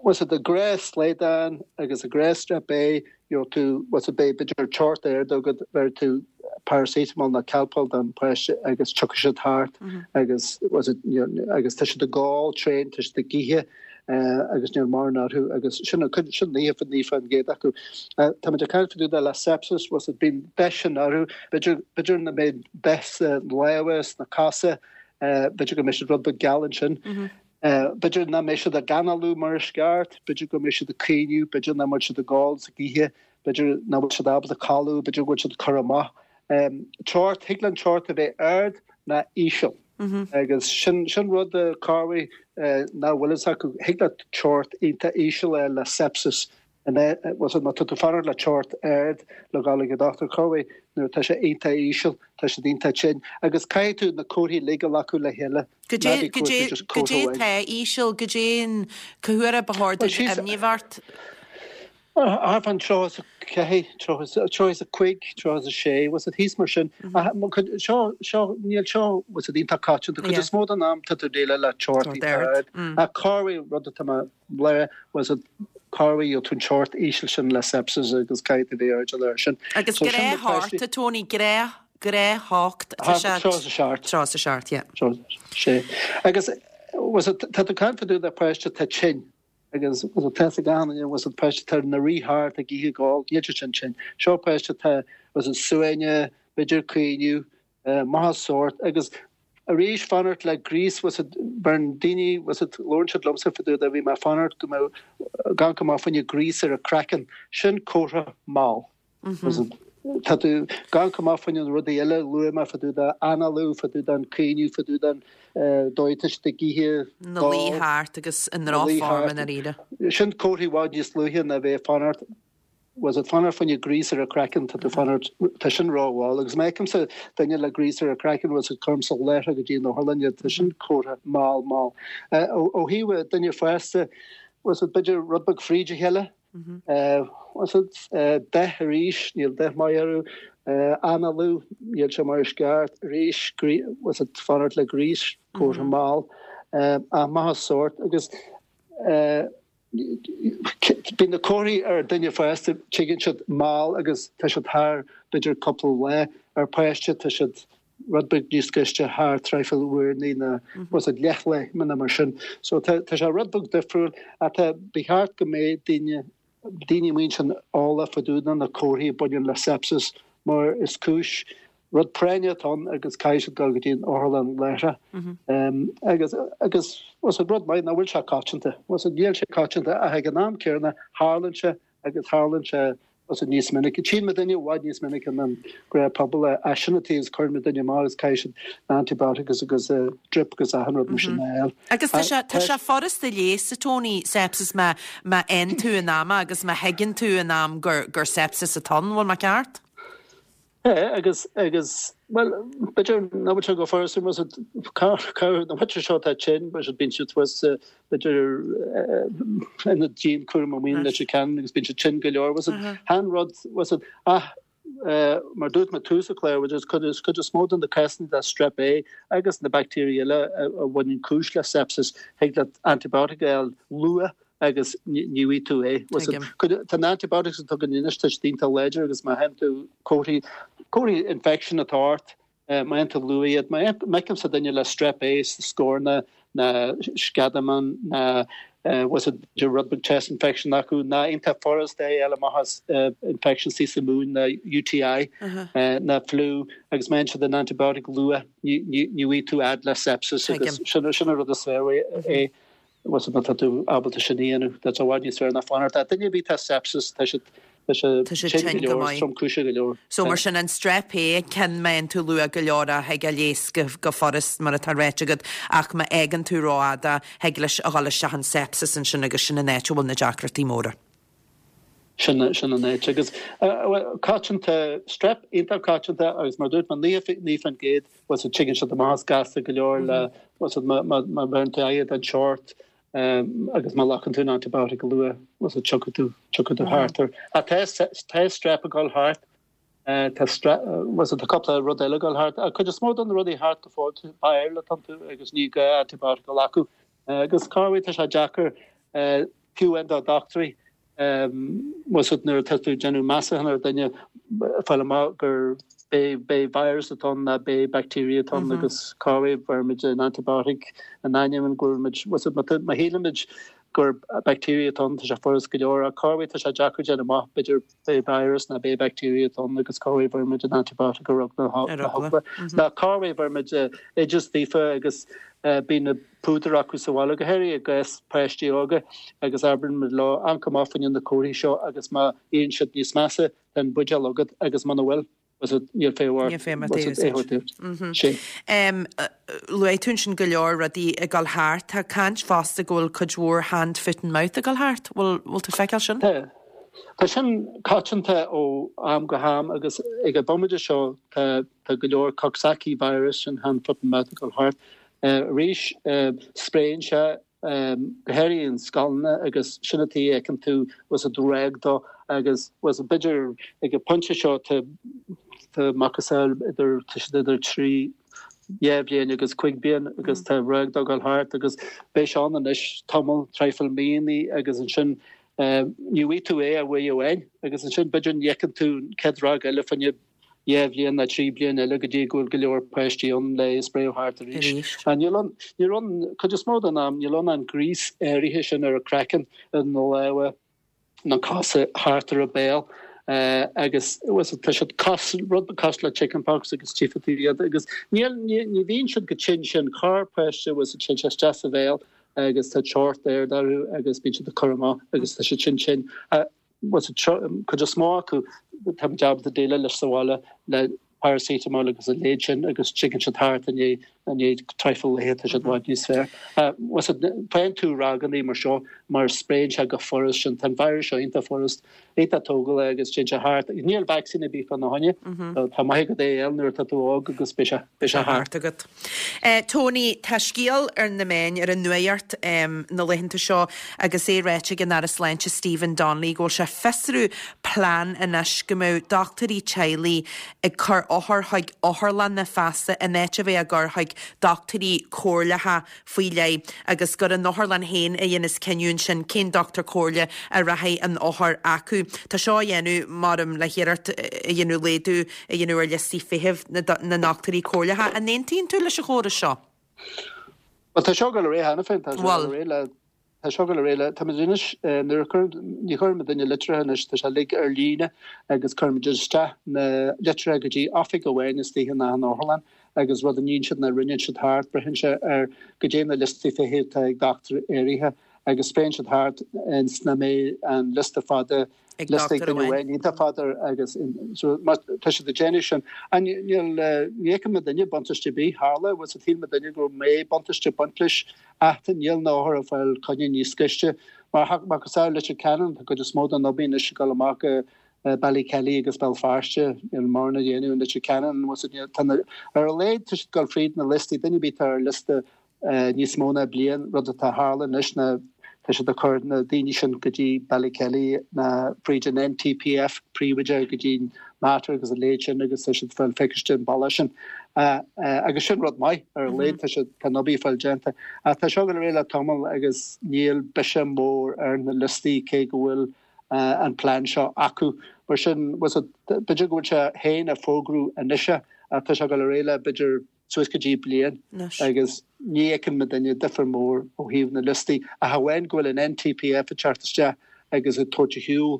E: was it the gnáth slaghdán agus a gnáth strep A gheobhaidh tú was it beidh b'fhéidir teocht ard agat bheir tú paracetamol nó Calpol don páiste agus tiocfaidh siad thart agus was it agus tá siad ag gol tréan tá siad ag ithe agus níl mórán orthu agus sin an cuid sin naocha naoi faoin gcéad acu. Táimid ag caint fá dtaobh de le sepsis was it bíonn dath sin orthu b'fhéidir b'fhéidir nach mbeidh dath sna lámha sna cosa b'fhéidir go mbeidh siad rud beag geal ansin. B'fhéidir nach mbeidh siad ag análú mar is ceart, b'fhéidir go mbeidh siad ag caoineadh, b'fhéidir nach mbeidh siad ag gol sa oíche, b'fhéidir nach bhfuil siad ábalta codladh, b'fhéidir go bhfuil siad curtha amach. Teocht, thig le an teocht a bheith ard ná íseal. Agus sin sin rud corruair nach bhfuil fhios acu, thig le teocht iontach íseal a le sepsis Was it má tá tú fanacht le teocht ard le dhul ag an dochtúir corruair nuair atá sé iontach íseal, tá siad iontach tinn agus caithfidh tú na comharthaí uilig a ghlacadh le chéile.
A: Goidé goidé goidé atá íseal, goidé an cá huair a ba chóir duit imní a bheith ort?
E: Thart fán tríocha is a ceathair, tríocha is a cúig, tríocha is a sé, was it thíos mar sin. Seo, seo, níl seo, was it iontach coitianta. Cuid is mó den am tá tú ag déileáil le teocht iontach ard. Ach corruair rud atá mé le, was it corruair gheobhaidh tú an teocht íseal sin le sepsis agus caithfidh tú bheith airdeall air sin.
A: Agus
E: So sin na
A: gnáth
E: páistí.
A: theocht, Tony, gnáth, gnáth-theocht, tá sé
E: Tríocha is a seacht.
A: Tríocha is a seacht, yeah.
E: Tríocha is a sé. Agus was it, tá tú ag caint fá dtaobh de páiste atá tinn. Agus was it tá fhios ag achan duine, was it páiste atá ina rith thart ag ithe ag gol, níl siad sin tinn. Seo páiste atá, was it suaimhneach, b'fhéidir caoineadh, maith as sórt agus arís fanacht le gríos was it beireann daoine was it labhrann siad liomsa fá dtaobh de bhí mé ag fanacht go mbeadh ag amharc amach fá choinne gríos ar a craiceann sin comhartha mall was it tá tú ag amharc amach fá choinne na rudaí eile luaigh mé fá dtaobh de análú fá dtaobh den caoineadh fá dtaobh den dóigh atá siad ag ithe
A: Na luí thart agus i ndrochfhorm i ndáiríre.
E: Sin comharthaí i bhfad níos luaithe ná bheith ag fanacht Was it fanacht fá choinne gríos ar a craiceann tá tú fanacht tá sin rómhall agus má fheicimse duine le gríos ar a craiceann was it cuirimse láithreach go dtí an otharlann tá sin comhartha mall mall. Ó thaobh duine fásta was it b'fhéidir rud beag fríd a chéile was it dath arís níl dath maith orthu análú níl sé mar is ceart arís was it fanacht le gríos comhartha mall ach maith sórt agus Bíonn na comharthaí ar duine fásta tigeann siad mall agus tá siad thar b'fhéidir cúpla lá ar páiste tá siad rud beag níos gaiste thar traidhfil uaireanta nó was it leathlá nó mar sin. So tá tá sé rud beag difriúil ach tá ba cheart go mbeidh daoine daoine amuigh ansin eolach fá dtaobh de na comharthaí a bhaineann le sepsis mar is cúis rud práinne atá ann agus caithfidh siad dul go dtí an otharlann láithreach. Agus agus was it rud maith nach bhfuil sé coitianta. Was it níl sé coitianta ach ag an am céanna tharlaíonn sé agus tharlaíonn sé was it níos minice. Tchíonn muidinne i bhfad níos minice ná an gnáthphobal é. As sin atá is cuireann muidinne amach agus caithfidh siad na antibiotics agus drip agus achan rud mar sin a fháil.
A: Agus tá sé tá sé furasta a leigheas a Tony sepsis má má fhaigheann tú in am agus má thuigeann tú in am gur gur sepsis atá ann, bhfuil mé ceart?
E: É agus agus well b'fhéidir nach bhfuil sé go furasta was it cabhair na muintir seo atá tinn was it bíonn siad thuas b'fhéidir ina dianchúram amuigh in Leitir Ceanainn agus bíonn siad tinn go leor was it chan rud was it ach mar dúirt mé tús an chláir was cuid is cuid is mó de na cásanna de strep A agus na baictéirí eile a bhaineann cúis le sepsis thig leat antibiotic a fháil luath agus ní bhfaighidh tú é. Tá na antibiotics atá againn anois tá siad iontach láidir agus má fhaigheann tú comharthaí comharthaí infection atá ort má fhaigheann tú luath iad má fheicimse duine le strep A sa scornach ná sceadamán ná was it rud beag chest infection acu ná iontach furasta é a fháil amach as infection sa mhúin ná UTI ná flu agus má fhaigheann siad an antibiotic luath ní bhfaighidh tú fhad le sepsis agus sin sin an rud is fearr é. Was it má tá tú ábalta sin a dhéanamh, tá sé i bhfad níos fearr ná fanacht. Tá duine ar bith atá sepsis, tá siad tá sé
A: Tá sé tinn
E: tinn
A: go
E: go leor,
A: maith.
E: tromchúiseach go leor.
A: So mar sin an strep A ceann má fhaigheann tú luath go leor é thig a leigheas go, go furast mar atá ráite agat ach má fhágann tú rófhada thig leis a dhul isteach in sepsis ansin agus sin an áit a bhfuil na deacrachtaí móra.
E: Sin sin an áit agus coitianta strep iontach coitianta agus mar dúirt mé naoi faoin gcéad was it tigeann siad amach as gasta go leor le was it má má bheireann tú aghaidh den seort agus má ghlacann tú an antibiotic go luath was it tiocfaidh tú tiocfaidh tú thart air. Ach tá tá strep ag dul thart tá was it tá cúpla rud eile ag dul thart. Cuid is mó de na rudaí thart go fóill viral atá iontu agus ní gá antibiotic a ghlacadh agus corruair tá sé deacair fiú amháin do dochtúirí was it nuair atá tú ag déanamh measúnú ar duine fáil amach gur b'é b'é virus atá ann ná b'é bacteria atá ann agus corruair bheirimid an antibiotic in ainneoin go bhfuilimid was it má shílimid gur bacteria atá ann tá sé furast go leor ach corruair tá sé deacair déanamh amach b'fhéidir b'é virus ná b'é bacteria atá ann agus corruair bheirimid an antibiotic ar eagla na heagla. Ná corruair bheirimid oideas daofa agus bíonn na púdair acu sa bhaile, go háirithe i gcás páistí óga agus abraíonn muid leo amharc amach fá choinne na comharthaí seo agus má éiríonn siad níos measa tá an buidéal agat agus muna bhfuil was it níl féidhm ort
A: Níl féidhm ort
E: was it
A: é
E: é
A: a úsáid.
E: thabhairt duit. Sin.
A: Um, Luaigh tú ansin go leor rudaí ag dul thart, tá caint fosta go bhfuil cuid mhór hand, foot and mouth ag dul thart, bhfuil bhfuil tú feiceáil sin?
E: Tá. Tá sin coitianta ó am go ham agus ag an bomaite seo tá tá go leor Coxsackie virus sin hand, foot and mouth ag dul thart. Arís spréann sé go háirithe in scoileanna agus sin an tuige a fheiceann tú was it ráig dó agus was it b'fhéidir ag an pointe seo tá tá macasamhail idir tá siad idir trí dhá bhliain agus cúig bliain agus tá ráig dó ag dul thart agus beidh sé ann anois tamall traidhfil míonna agus ansin ní bhfaighidh tú é ach uair amháin agus ansin b'fhéidir ní fheiceann tú an chéad ráig eile fá choinne dhá bhliain nó trí bliain eile go dtí go bhfuil go leor páistí ann le é a spréadh thart arís.
A: Arís.
E: A níl an níl an cuid is mó den am níl ann an gríos áirithe sin ar a craiceann ar na lámha na cosa thart ar a béal agus was it tá siad cos rud cosúil le chickenpox agus tchífidh tú iad agus níl ní ní bhíonn siad go tinn sin corrpháiste was it téann sé isteach sa bhéal agus tá teocht ard orthu agus bíonn siad ag cur amach agus tá siad sin tinn. Was it cuid is mó acu tá muid ábalta déileáil leis sa bhaile le paracetamol agus a leithéid sin agus tigeann siad thart i ndiaidh i ndiaidh traidhfil laetha tá siad i bhfad níos fearr. Faigheann tú ragannaí mar seo mar spréann sé go furast sin tá an virus seo iontach furast iontach tógálach agus téann sé thart. Níl vacsaín ar bith fána choinne. Tá maith agat é a fháil nuair atá tú óg agus beidh sé beidh sé thart
A: agat. Tony, tá scéal ar na meáin ar an nuacht na laethanta seo agus é ráite ag an Aire Sláinte Stephen Donnelly go bhfuil sé ag fiosrú plean anois go mbeadh dochtúirí teaghlaigh ag cur othair chuig otharlanna feasta in áit a bheith á gcur chuig dochtúirí comhairleacha faoi leith agus gur an otharlann féin a dhéanas cinneadh ansin cén dochtúir comhairle a rachaidh an othar acu. Tá seo á dhéanamh maram le hiarracht a dhéanamh laghdú a dhéanamh ar liostaí feithimh na ndochtúirí comhairleacha. An aontaíonn tú leis an chóras seo?
E: Bhuel tá seo ag dul ar aghaidh cheana féin, tá seo ag dul ar aghaidh le Tá seo ag dul ar aghaidh le, táimid anois, nuair a chuireann, ní chuireann muidinne litreacha anois, tá sé uilig ar líne agus cuirimid isteach na litreacha go dtí oifig amháin istigh in achan otharlann agus rud a níonn siad ná roinneann siad thart, braitheann sé ar goidé na liostaí feithimh atá ag dochtúir áirithe agus spréann siad thart ins nach mbeidh an liosta fada
A: ag
E: liosta ag
A: dochtúir
E: duine
A: amháin.
E: amháin iontach fada agus so má tá siad ag déanamh sin an níl ní fheiceann muidinne buntáiste ar bith tharla bhfuil sa shíl muidinne go mbeidh buntáiste ag baint leis ach níl na hothair ag fáil coinne níos gaiste mar mar cosúil Leitir Ceanainn tá cuid is mó den obair anois ag dul amach go Ballykelly agus Béal Feirste níl mórán á dhéanamh in Leitir Ceanainn bhfuil sa tá na ar a laghad tá siad ag dul fríd na liostaí duine ar bith atá ar liosta níos mó ná bliain, rud atá tharla anois ná tá siad ag cur na daoine sin go dtí Ballykelly ná fríd an NTPF príobháideach go dtí Mater agus a leithéid sin agus tá siad ag fáil pacáiste an bealach sin. Agus sin rud maith ar a laghad tá siad tá an obair ag fáil déanta. Ach tá seo ag dul ar aghaidh le tamall agus níl biseach mór ar na liostaí cé go bhfuil an plean seo acu. Mar sin b'fhéidir go bhfuil sé féin á fógrú anois ach tá sé ag dul ar aghaidh le b'fhéidir suas go dtí bliain agus ní fheiceann muidinne difear mór ó thaobh na liostaí ach amháin go bhfuil an NTPF ag teacht isteach agus ag tabhairt ar shiúl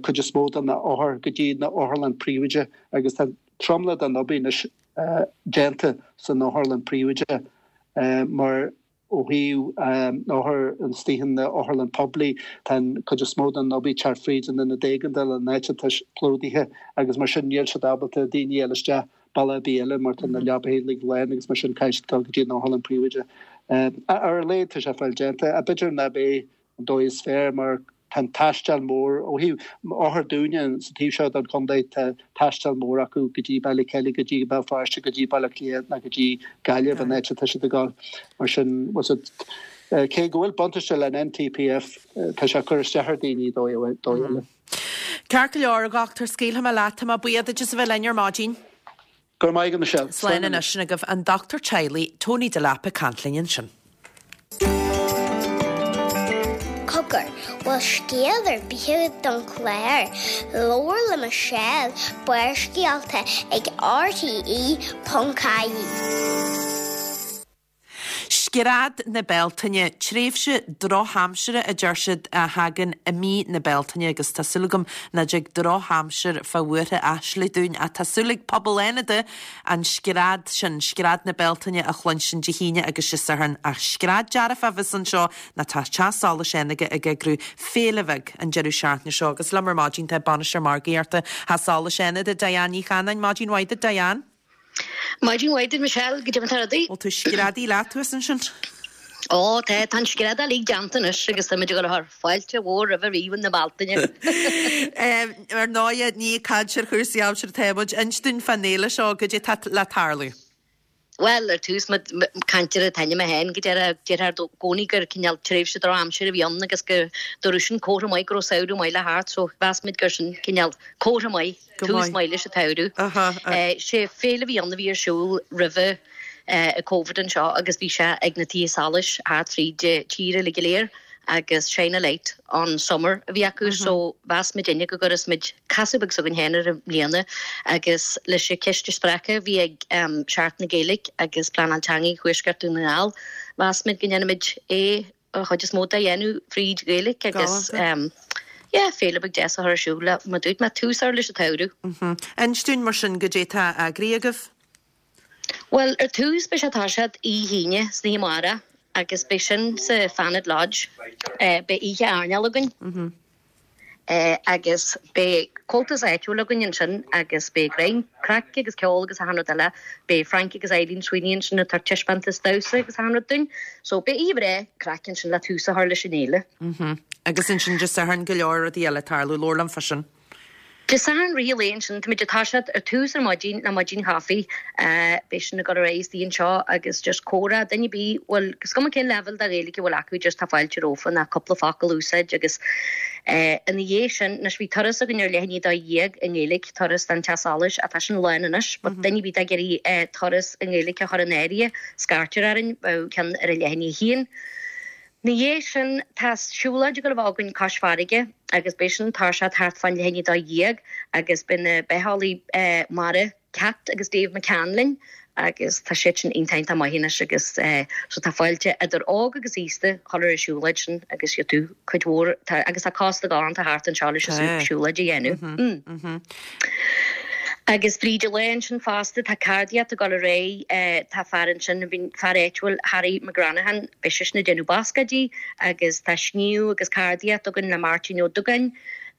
E: cuid is mó de na othair go dtí na otharlann príobháideach agus tá tromlach den obair anois déanta san otharlann príobháideach mar Ó thaobh na othair istigh in na otharlann poiblí, tá an cuid is mó den obair ag teacht fríd an ionad éigeandála, an áit atá plódaithe agus mar sin níl siad ábalta daoine a fháil isteach bealach ar bith eile mar tá na leapaithe uilig lán agus mar sin caithfidh siad dul go dtí an otharlann príobháideach. Ar a laghad tá sé fáil déanta. B'fhéidir ná b'é an dóigh is fearr mar tá an taisteal mór ó thaobh othair dúinne sa taobh seo den chontae tá taisteal mór acu go dtí Ballykelly go dtí Béal Feirste go dtí Baile Átha Cliath ná go dtí Gaillimh an áit atá siad ag dul mar sin was it cé go bhfuil buntáiste le an NTPF tá sé ag cur isteach ar daoine dóigh dóigh eile.
A: Ceart go leor, a dhochtúir, scaoilfidh mé leat, tá mé buíoch duit as a bheith linn ar maidin.
E: Go raibh maith agat Michelle.
A: Slán anois, sin agaibh an dochtúir teaghlaigh, Tony Delap ag caint linn ansin.
C: Cogar, bhfuil scéal ar bith agat don chlár? Labhair le Michelle, Barrscéalta ag RTE ponc ie.
A: Scread na Bealtaine, tréimhse drochaimsire a deir siad a thagann i mí na Bealtaine agus tá súil agam nach dtig drochaimsir fá bhuartha aisle dúinn ach tá súil ag pobal Fhánada an scread sin, scread na Bealtaine a chluinstin Dé hAoine agus Dé Sathairn ach scread dearfach a bheas anseo ná tá Teach Solais Fhánada ag eagrú féile bheag an deireadh seachtaine seo agus liom ar maidin tá Bainisteoir Margaíochta Theach Solais Fhánada, Diane Ní Chanáin. Maidin mhaith duit Diane.
F: Maidin mhaith duit Michelle, goidé mar tá rudaí.
A: Bhfuil tú screadaí leat thuas ansin?
F: Ó tá, tá an scread uilig déanta anois agus táimid ag dul a chur fáilte mhór roimh ríomh na Bealtaine.
A: Ar ndóighe, ní ag caint ar chúrsaí aimsire atá muid. Inis dúinn fán fhéile seo, goidé atá le tarlú.
F: Bhuel, ar tús, caint ar an t-ainm féin, go deirtear i gcónaí gur cineál tréimhse drochaimsire a bhí ann agus go raibh sin comhartha maith go raibh samhradh maith le theacht so mheas muid gur sin cineál comhartha maith, tús maith leis an tsamhradh. Sé féile a bhí ann a bhí ar siúl roimhe Covid anseo agus bhí sé ag na tithe solais thart fríd an tír uilig go léir. agus Shine a Light on Summer a bhí acu so mheas muidinne go gcuirfeas muid casadh beag s'againn féin air i mbliana agus leis an chiste spreagtha a bhí ag Seachtain na Gaeilge agus Pleanáil Teanga Thuaisceart Dhún na nGall mheas muid go ndéanfaimid é an chuid is mó de a dhéanamh fríd Ghaeilge agus yeah féile beag deas a chur ar siúl le mar dúirt mé tús a chur leis an tsamhradh.
A: Inis dúinn mar sin goidé tá eagraithe agaibh.
F: Bhuel ar tús beidh sé ag toiseacht oíche Aoine san oíche amárach agus beidh sin sa Fanad Lodge. Beidh oíche airneáil againn. Agus beidh Comhaltas áitiúil againn ansin agus beidh greim, craic agus ceol agus achan rud eile. Beidh Frank agus Eileen Sweeney ansin ag tabhairt taispeántas damhsa agus achan rud dúinn. So beidh oíche bhreá craic ansin le tús a chur leis an fhéile.
A: Agus ansin Dé Sathairn go leor rudaí eile ag tarlú, labhair liom fá sin.
F: Dé Sathairn rith an lae ansin, táimid ag toiseacht ar tús ar maidin le maidin chaife. Beidh sin ag dul ar aghaidh istigh anseo agus just comhrá, duine ar bith, bhuel, is cuma cén leibhéal de Ghaeilge a bhfuil acu, just tá fáilte rompu ná cúpla focal a úsáid agus ina dhiaidh sin, anois bhí turas againn ar leath i ndiaidh a dó dhéag i nGaeilge, turas don Teach Solais, ach tá sin lán anois, but duine ar bith atá ag iarraidh turas i nGaeilge a chur in áirithe, scairtear orainn, bheadh ceann ar a leath i ndiaidh a haon. Ina dhiaidh sin, tá siúlóid ag dul a bheith againn cois farraige agus beidh sin ag toiseacht thart fán leath i ndiaidh a dó dhéag agus beidh na bitheolaithe mara Cat agus Dave McCann linn agus tá siad sin iontach iontach maith anois agus so tá fáilte idir óg agus aosta dhul ar an siúlóid sin agus gheobhaidh tú cuid mhór tá agus tá cósta galánta thart anseo leis an siúlóid a dhéanamh. Agus fríd an lá ansin fosta, tá ceardaíocht ag dul ar aghaidh, tá fear ansin, fear áitiúil, Harry McGranahan, beidh seisean ag déanamh bascáidí agus tá sníomh agus ceardaíocht againn le Máirtín Ó Dúgáin.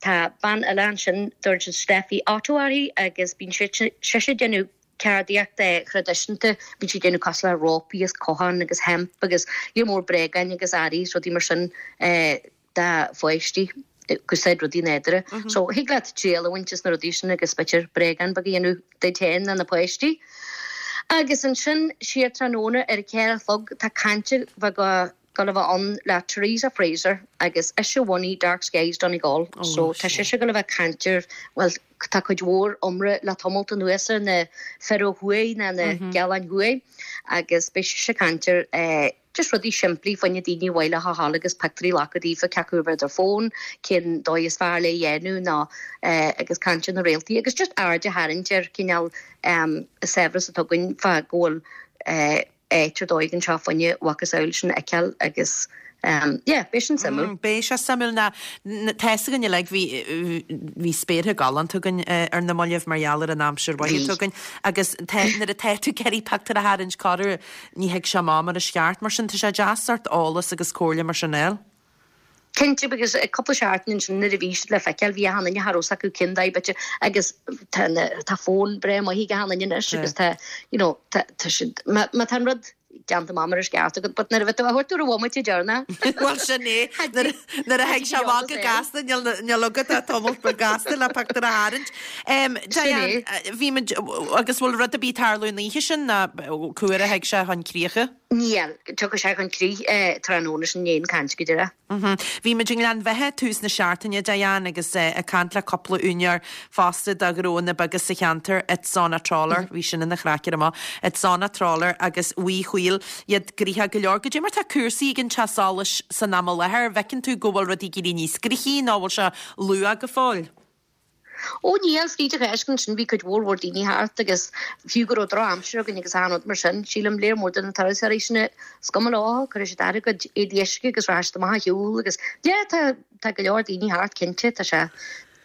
F: Tá bean eile ansin, dtugann siad Steffi Otto uirthi agus bíonn sise ag déanamh ceardaíocht thraidisiúnta, bíonn sí ag déanamh cosúil le rópaí agus cotháin agus hemp agus lear mór bréagáin agus earraí is rudaí mar sin do pháistí. ag úsáid rudaí nádúrtha. So thig leat triail a bhaint as na rudaí sin agus b'fhéidir bréagán beag a dhéanamh duit féin nó na páistí. Agus ansin siar tráthnóna ar a ceathair a chlog tá caint bheag ag dul a bheith ann le Teresa Fraser agus ise a bhunaigh Dark Skies Donegal. So tá sise ag dul a bheith ag caint ar, bhuel tá cuid mhór iomrá le tamalt anuas ar na fir ó thuaidh ná na gealáin thuaidh agus beidh sise ag caint ar eh, Just rudaí simplí fá choinne daoine ar mhaith leo a ghabháil agus pictiúirí a ghlacadh daofa cé acu ar their phone, cén dóigh is fearr le dhéanamh ná agus caint ar na réaltaí agus just aird a tharraingt ar cineál an saibhreas atá againn fá go bhfuil áit ar dóigh anseo fá choinne a mhacasamhail sin a fheiceáil agus yeah, beidh sin suimiúil.
A: Beidh sé suimiúil ná tá fhios againn uilig bhí bhí spéartha galánta againn ar na mallaibh mar gheall ar an aimsir mhaith atá againn agus tá nuair atá tú ag iarraidh pictiúr a tharraingt corruair ní thig sé amach mar is ceart mar sin tá sé deas sórt eolas agus comhairle mar sin a fháil.
F: Cinnte because cúpla seachtain ansin nuair a bhí siad le feiceáil bhí achan duine cha raibh fhios acu cén dóigh b'fhéidir agus tá na tá fón breá maith ag achan duine anois agus tá you know tá tá siad má má tá an rud déanta amach mar is ceart agat, but nuair a bheith tú á thabhairt ar an bhomaite deireanach.
A: Bhuel sin é, nuair a thig sé amach go gasta, níl agat ach tamall beag gasta le pictiúr a tharraingt. Diane, bhí muid, agus bhfuil rud ar bith ag tarlú an oíche sin ná cá huair a thig sé chun críche?
F: Níl, tiocfaidh sé chun críche tráthnóna sin i ndiaidh an chaint go díreach.
A: Bhí muid i nGleann Bheatha tús na seachtaine, Diane, agus ag caint le cúpla úinéir fosta de ghnóanna beaga sa cheantar, It's on a Trawler, bhí sin ina chraic ar amach, It's on a Trawler agus Uí Chuill, iad gnoitheach go leor. Goidé mar tá cúrsaí ag an teach solais san am i láthair, an bhfeiceann tú go bhfuil rudaí ag éirí níos gnoithí nó bhfuil sé luath go fóill?
F: Ó níl, fríd an Cháisc ansin bhí cuid mhór mhór daoine thart agus fiú go raibh droch-aimsir againn agus achan rud mar sin, sílim léar mór de na turasóirí sin is cuma leo, cuirfidh siad air a gcuid éadaí uisce agus rachaidh siad amach a shiúl agus yeah tá tá go leor daoine thart cinnte, tá sé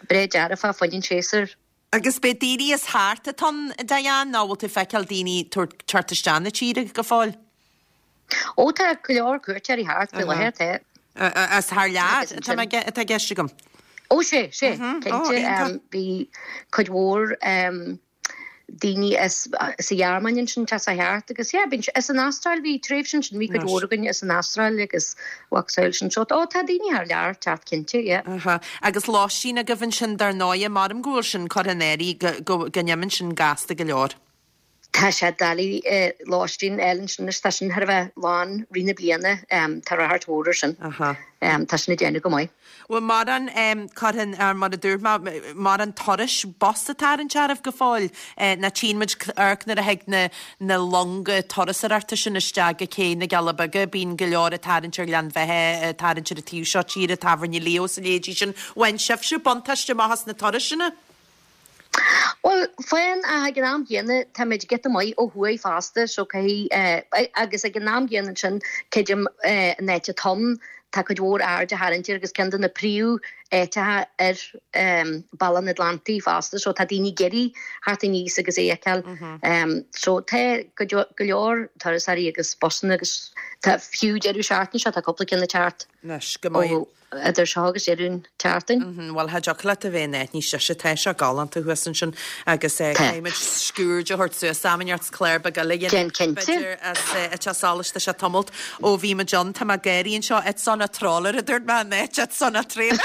F: breá dearfa fá choinne an séasúr.
A: Agus b'é daoine as thart atá ann, Diane, nó bhfuil tú ag feiceáil daoine tabhairt teacht isteach na tíre go fóill?
F: Ó tá go leor cuairteoirí thart faoi láthair, tá.
A: As thar lear atá mé atá i gceist agam.
F: Ó sé, sé, cinnte. Bhí cuid mhór daoine as sa Ghearmáin ansin tá sé thart agus yeah, bíonn as an Astráil bhí tréimhse ansin bhí cuid mhór againn as an Astráil agus mhacasamhail sin so ó tá daoine thar lear ag teacht cinnte, yeah.
A: Aha. Agus lóistín agaibh ansin dar ndóighe, maram go bhfuil sin curtha in áirithe go go n-imíonn sin gasta go leor.
F: Tá sé doiligh lóistín a fháil ansin anois, tá sin thar a bheith lán rith na bliana, tá ráchairt mhór ar sin. Tá sin ag déanamh go maith.
A: Bhfuil mórán curtha in, mar a dúirt mé, mórán turais bus ag tarraingt oraibh go fóill? Nó tchíonn muid amharc nuair a thig na na longa turasóireachta sin isteach go Cé na gCealla Beaga, bíonn go leor ag tarraingt ar Ghleann Bheatha, ag tarraingt ar an taobh seo tíre, Tábhairne Leo is a leithéidí sin. Bhain sibhse buntáiste amach as na turais sin?
F: Bhuel, faigheann, ach ag an am chéanna táimid giota maith ó thuaidh fosta so caithfidh, agus ag an am chéanna ansin creidim an áit atá ann, tá cuid mhór aird á tharraingt air agus ceann de na príomh áiteacha ar Bealach an Atlantaigh fosta, so tá daoine ag iarraidh theacht aníos agus é a fheiceáil. So tá go leor turasóirí agus busanna agus tá fiú deireadh seachtaine seo tá cúpla ceann ag teacht.
A: Anois, go maith.
F: Idir seo agus deireadh an tseachtain.
A: Bhuel, cha dtiocfadh leat a bheith in áit níos deise, tá sé galánta thuas ansin agus caithfimid sciuird a thabhairt suas am inteacht 's clár beag eile a dhéanamh.
F: Déan cinnte.
A: B'fhéidir as an teach solais, tá sé tamalt ó bhí muid ann, tá mé ag gáirí anseo, it's on a trawler a dúirt mé in áit it's on a trailer.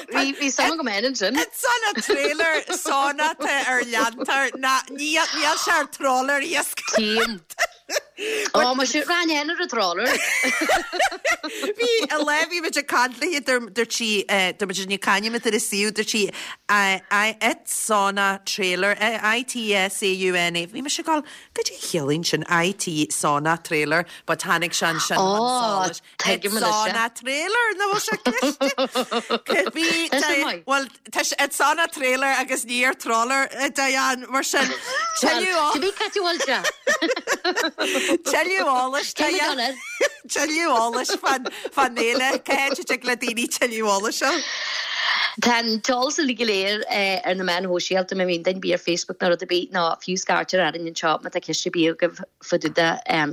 F: Bhí bhí suim agam féin ansin.
A: It's on a trailer sauna tá ar leantar ná níl níl sé ar trawler iasc.
F: Tím. Ó mar sin ran ar a trawler.
A: Bhí a le bhí muid ag caint léi dúirt sí dúirt muid ní caithfidh muid ar a suíomh dúirt sí it's on a trailer I T S A U N A Bhí mise ag gabháil goidé a chiallaíonn sin I T sauna trailer but tháinig sé ansin chun solais.
F: Tuigim
A: It's
F: anois
A: on a trailer na bhfuil sé cliste. Bhí
F: Tá sé maith.
A: Well tá sé- it's on a trailer agus ní ar trawler Diane mar sin tuilleadh
F: Bhí cad bhfuil sé.
A: tuilleadh eolais
F: Cé
A: Diane.
F: air?
A: Tuilleadh eolais fan fan fhéile cá háit le daoine tuilleadh eolais seo.
F: Tá an t-eolas uilig go léir ar na meáin shóisialta má bhíonn duine ar bith ar Facebook nó rud ar bith ná fiú scairtear orainn anseo má tá ceist ar bith agaibh fá dtaobh de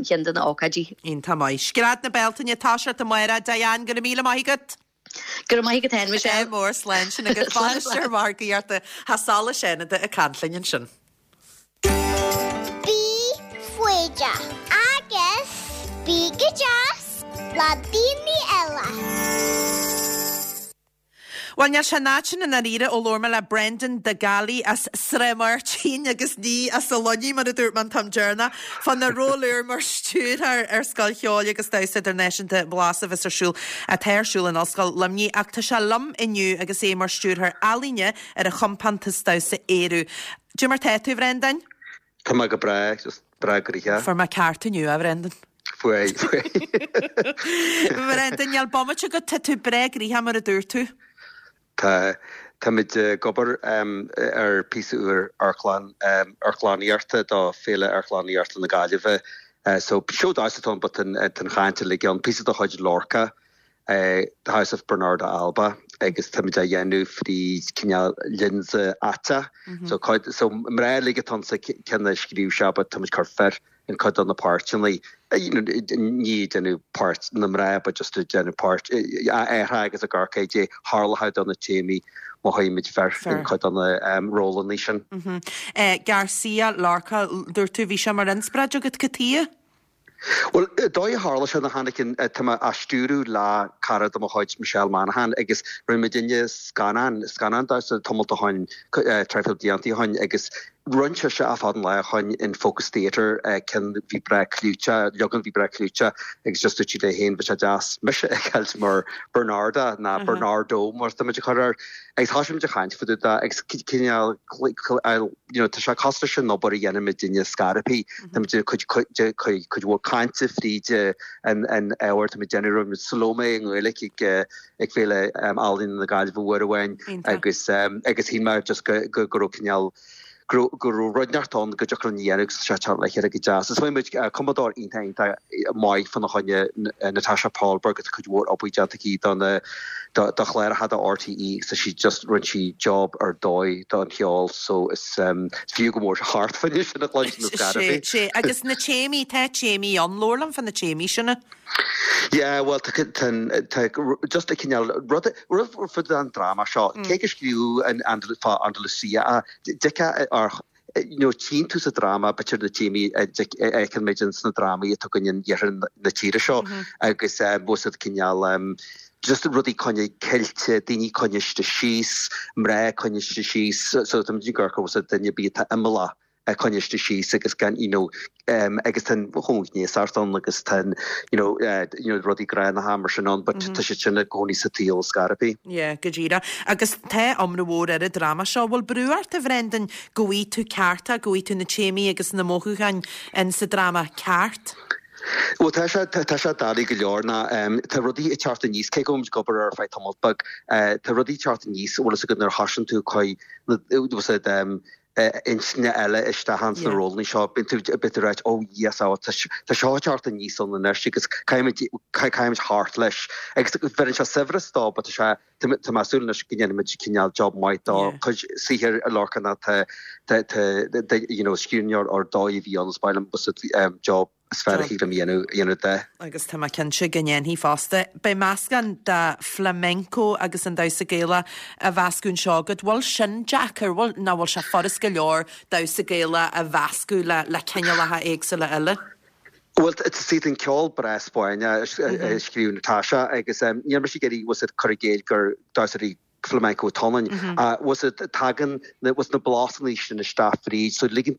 F: cheann de na ócáidí.
A: Iontach maith. Scread na Bealtaine tá sé amárach Diane go raibh míle maith agat.
F: Go raibh maith agat féin
A: Sé
F: Michelle.
A: mór slán sin agus
F: Slán,
A: bainisteoir margaíochta Theach Solais Fhánada ag caint linn ansin.
C: Bí foighdeach agus bí go deas le daoine eile.
A: Well níl sé nátin an aríre ó labhair mé le Brendan de Gallaí as Sraith Máirtín agus ní as a Luní mar a dúirt mé an t-am deireanach fána ról úr mar stiúrthóir ar Scoil Cheoil agus Damhsa Idirnáisiúnta Blas a bheas ar siúl atá ar siúl in Ollscoil Luimnigh ach tá sé liom inniu agus é mar stiúrthóir ealaíne ar an chompántas damhsa Ériu. Goidé mar tá tú Brendan?
G: Tá mé go breá just breá gnoitheach.
A: Fuair mé ceart inniu a Brendan.
G: Fuair fuair.
A: Brendan níl bomaite go tá tú breá gnoitheach mar a dúirt tú.
G: Tá Táimid ag obair um, ar píosa úr amharclann um, amharclannaíochta do Féile Amharclannaíochta na Gaillimhe. Uh, so seó damhsa atá but an an chaint le an píosa de chuid Lorca uh, The House of Bernarda Alba agus táimid á dhéanamh frí cineál lionsa aiteach. Mm -hmm. So cuid so mná uilig atá sa ceann a scríobh sé but táimid cur fir in cuid de na páirteanna ní déanamh páirt na mná but just déanamh páirt é agus a garcéidé tharla do na téamaí má chuimid fer in cuid de na um, rólanna sin.
A: Mm -hmm. eh, Garcia Lorca dúirt tú bhí sé mar inspioráid agat cad chuige?
G: Well dóigh tharla sé na tháinig tá mé á stiúradh le cara de mo chuid Michelle Manahan agus rinne muid duine scannán scannán damhsa tamall ó shin traidhfil blianta ó shin agus rinne sé a fad an lá chun in Focus Theatre cinn bhí breá clúiteach leagan bhí breá clúiteach agus just dúirt sí léi féin bhí sé deas mise a fheiceáil mar Bernarda ná uh -huh. Bernardo mar tá muid chur air agus tá muid ag caint fá dtaobh agus cineál you know, tá sé cosúil leis an obair a dhéanaimid duine scarapí Tá cuid cuid mhór cainte fríd an an ábhar tá déanamh Salome i nGaeilge ag ag Féile Ealaíon na Gaillimhe uair amháin agus agus shíl mé just go go go raibh cineál go raibh rud inteacht ann go dtiocfadh linn dhéanamh sé le chéile go deas. Is muid cumadóir iontach iontach maith fána choinne Natasha Paulberg agus cuid mhór obair déanta aici don do chláracha do R T E sa sí just rinne sí job ar dóigh don cheol so is um, fiú go mór thart fáinne sin a chluinstin na
A: Sé sé agus na téamaí tá téamaí an leabhar fan na téamaí sinna?
G: Yeah, well tá just a cineál rud rud an drama seo cé gur scríobhadh an fá Andalusia deca ar you know, tchíonn tú sa drama b'fhéidir na téamaí a fheicimid sna drámaí atá againn in iarthar na tíre seo agus bhfuil cineál um, just rudaí coinne cilte daoine coinnithe síos mná coinnithe síos so tá gur go duine bí imeallach coinnithe síos agus gan you know, um, agus tan chónéart an agus tan you know, uh, you know, rudaí gránna mar sin ann, but tá sé sin i gcónaí sa tíol scarapí.
A: Yeah, go díreach. Agus tá iomrá mór ar an drama seo, bhfuil brú ort a Bhrendan go bhfaighidh tú cearta, go bhfaighidh tú na téamaí agus na mothúcháin in sa drama ceart?
G: Well tá sé tá sé doiligh go leor ná um, tá rudaí ag teacht aníos cé go ag obair ar feadh tamall beag uh, tá rudaí teacht aníos bhfuil go nuair a thosaíonn tú chuid um, intinne eile isteach sna rólanna seo bíonn tú bit rá ó yes á tá seo teacht aníos ann anois agus caithfimid thart leis agus bheireann sé saibhreas dó but tá sé tá mé ag súil anois go ndéanfaimid cineál job maith dá cuid saothair a Lorcan tá you know scríbhneoir ar dóigh a bhí ann is maith liom job is fearr a thig liom a dhéanamh de.
A: Agus tá mé cinnte go ndéanfaidh fosta. Beidh meascán de flamenco agus an damhsa Gaelach á mheascadh anseo agat. Bhfuil sin deacair? Bhfuil, nó bhfuil sé furast go leor damhsa Gaelach a mheascadh le, le cineálacha éagsúla eile?
G: Bhuel, see tá an ceol breá Spáinneach a scríobh Natasha agus níl mise ag iarraidh bhfuil cur i gcéill gur damhsóirí flamenco atá ionainn. Bhfuil tagann na na blasanna sin isteach fríd so ligeann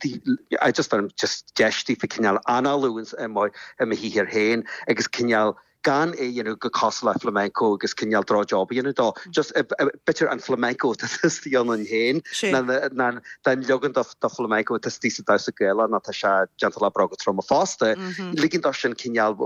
G: I just just deis daofa cineál análú i mo i mo shaothar féin agus cineál gan é dhéanamh go cosúil le flamenco agus cineál droch job a dhéanamh dó. Just b'fhéidir an flamenco atá istigh ionainn féin ná den leagan de flamenco atá istigh sa damhsa Gaelach ná tá sé déanta le bróga troma fosta. Ligean dó sin cineál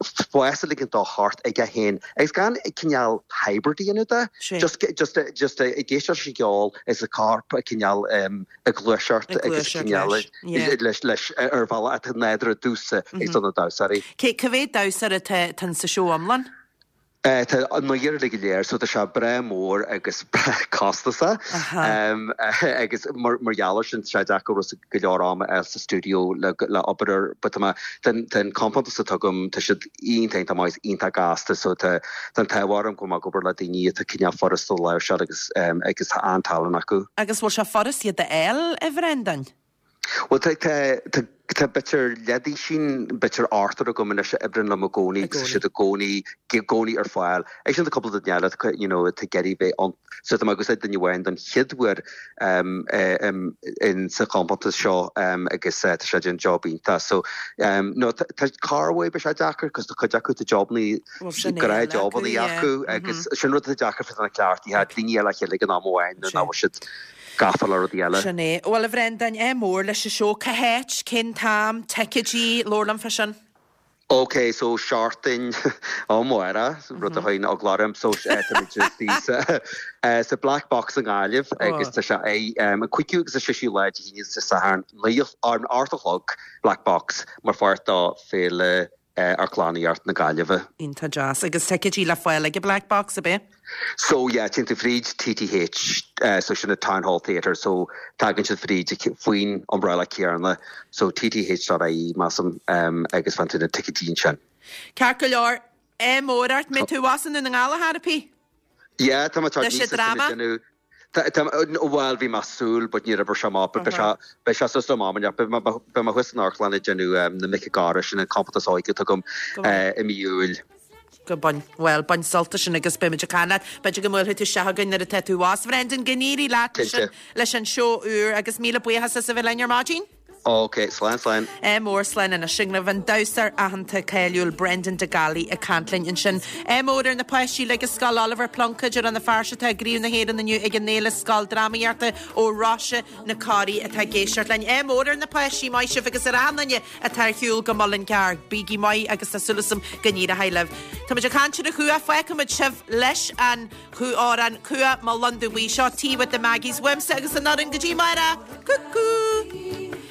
G: spás a ligean dó thart aige féin agus gan cineál hybrid a dhéanamh de. Just just just ag éisteacht leis an gceol is a corp a cineál ag gluaiseacht agus cineál leis leis ar bhealach atá nádúrtha domhsa agus do na damhsóirí.
A: Cé cá mhéad damhsóir atá sa seó iomlán?
G: Tá an naonúr uilig go léir so tá sé breá mór agus breá costasach agus mar gheall air sin tá sé deacair go leor ama a fháil sa stiúideo le le obair air but tá mé tá an compántas atá agam tá siad iontach iontach maith iontach gasta so tá tá an t-ádh orm go bhfuil mé ag obair le daoine atá cineál furasta a láimhseáil agus agus tá an-tallann acu.
A: Agus bhfuil sé furast iad a fháil, a Bhrendan?
G: Bhuel tá tá tá b'fhéidir leathduisín, b'fhéidir ochtar agam anois a oibríonn liom i gcónaí agus tá siad i gcónaí i gcónaí ar fáil. Agus sin tá cúpla duine eile atá you know atá ag iarraidh bheith ann. So tá mé ag úsáid duine amháin don chéad uair um, um, in sa chompántas seo um, agus uh, tá sé déanamh job iontach. So um, no tá tá corruair bíonn sé deacair cos tá cuid acu tá jobanna gnáthjobanna acu agus sin rud atá deacair fá na cleachtaithe daoine eile a chéile ag an am amháin nuair nach bhfuil siad gafa le rudaí eile.
A: Sin é. Bhuel, a Bhrendan, ádh mór leis an seó. Cá háit, cén t-am, ticéidí, labhair liom fá sin.
G: Ok, so seachtain amárach, rud a chuireann eagla orm, so táimid istigh sa sa Black Box i nGaillimh agus tá sé an cúigiú agus an séú lá Dé hAoine is Dé Sathairn, naoi, an ocht a chlog, Black Box, mar pháirt de Féile Amharclannaíocht na Gaillimhe.
A: Iontach deas. Agus ticéidí le fáil ag an Black Box, ab é?
G: So yeah, téann tú fríd TTH, so sin an Town Hall Theatre, so tagann siad fríd faoin umbrella céanna, so TTH.ie measaim agus faigheann tú na ticéidí ansin.
A: Ceart go leor, ádh mór ort, mbeidh tú abhus i nDún na nGall a Thairpí?
G: Yeah, tá mé ag teacht
A: Leis an dráma?
G: Bhuel, bhí mé ag súil, but níor oibrigh sé amach, but beidh sé, beidh sé suas le m'am, beidh mé, beidh mé thuas san amharclann ag déanamh na Mic an Gharrdha, sin an compántas óige atá agam i mí Iúil.
A: Go bain, bhuel, bain sult as sin agus beimid ag caint leat. B'fhéidir go mbuailfidh tú isteach chugainn nuair atá tú abhus. Brendan, go n-éirí leat leis an, leis an seó úr agus míle buíochas as a bheith linn ar maidin.
G: Ok, slán slán.
A: Ádh mór slán anois sin agaibh an damhsóir aitheanta cáiliúil Brendan de Gallaí ag caint linn ansin. Ádh mór ar na páistí uilig i Scoil Oliver Plunkett ar Rann na Feirste atá i gCraobh na hÉireann inniu ag an Fhéile Scoildrámaíochta ó Rois na Coraí atá ag éisteacht linn. Ádh mór ar na páistí, maith sibh agus ar achan duine atá ar shiúl go Mullingar. Bígí maith agus tá súil agam go n-éireoidh libh. Táimid ag caint ar an chuach, fágfaimid sibh leis an amhrán Cuach mo Londubh Buí. Seo Tea with the Maggies uaimse agus an fhoireann go dtí amárach. Cúcú!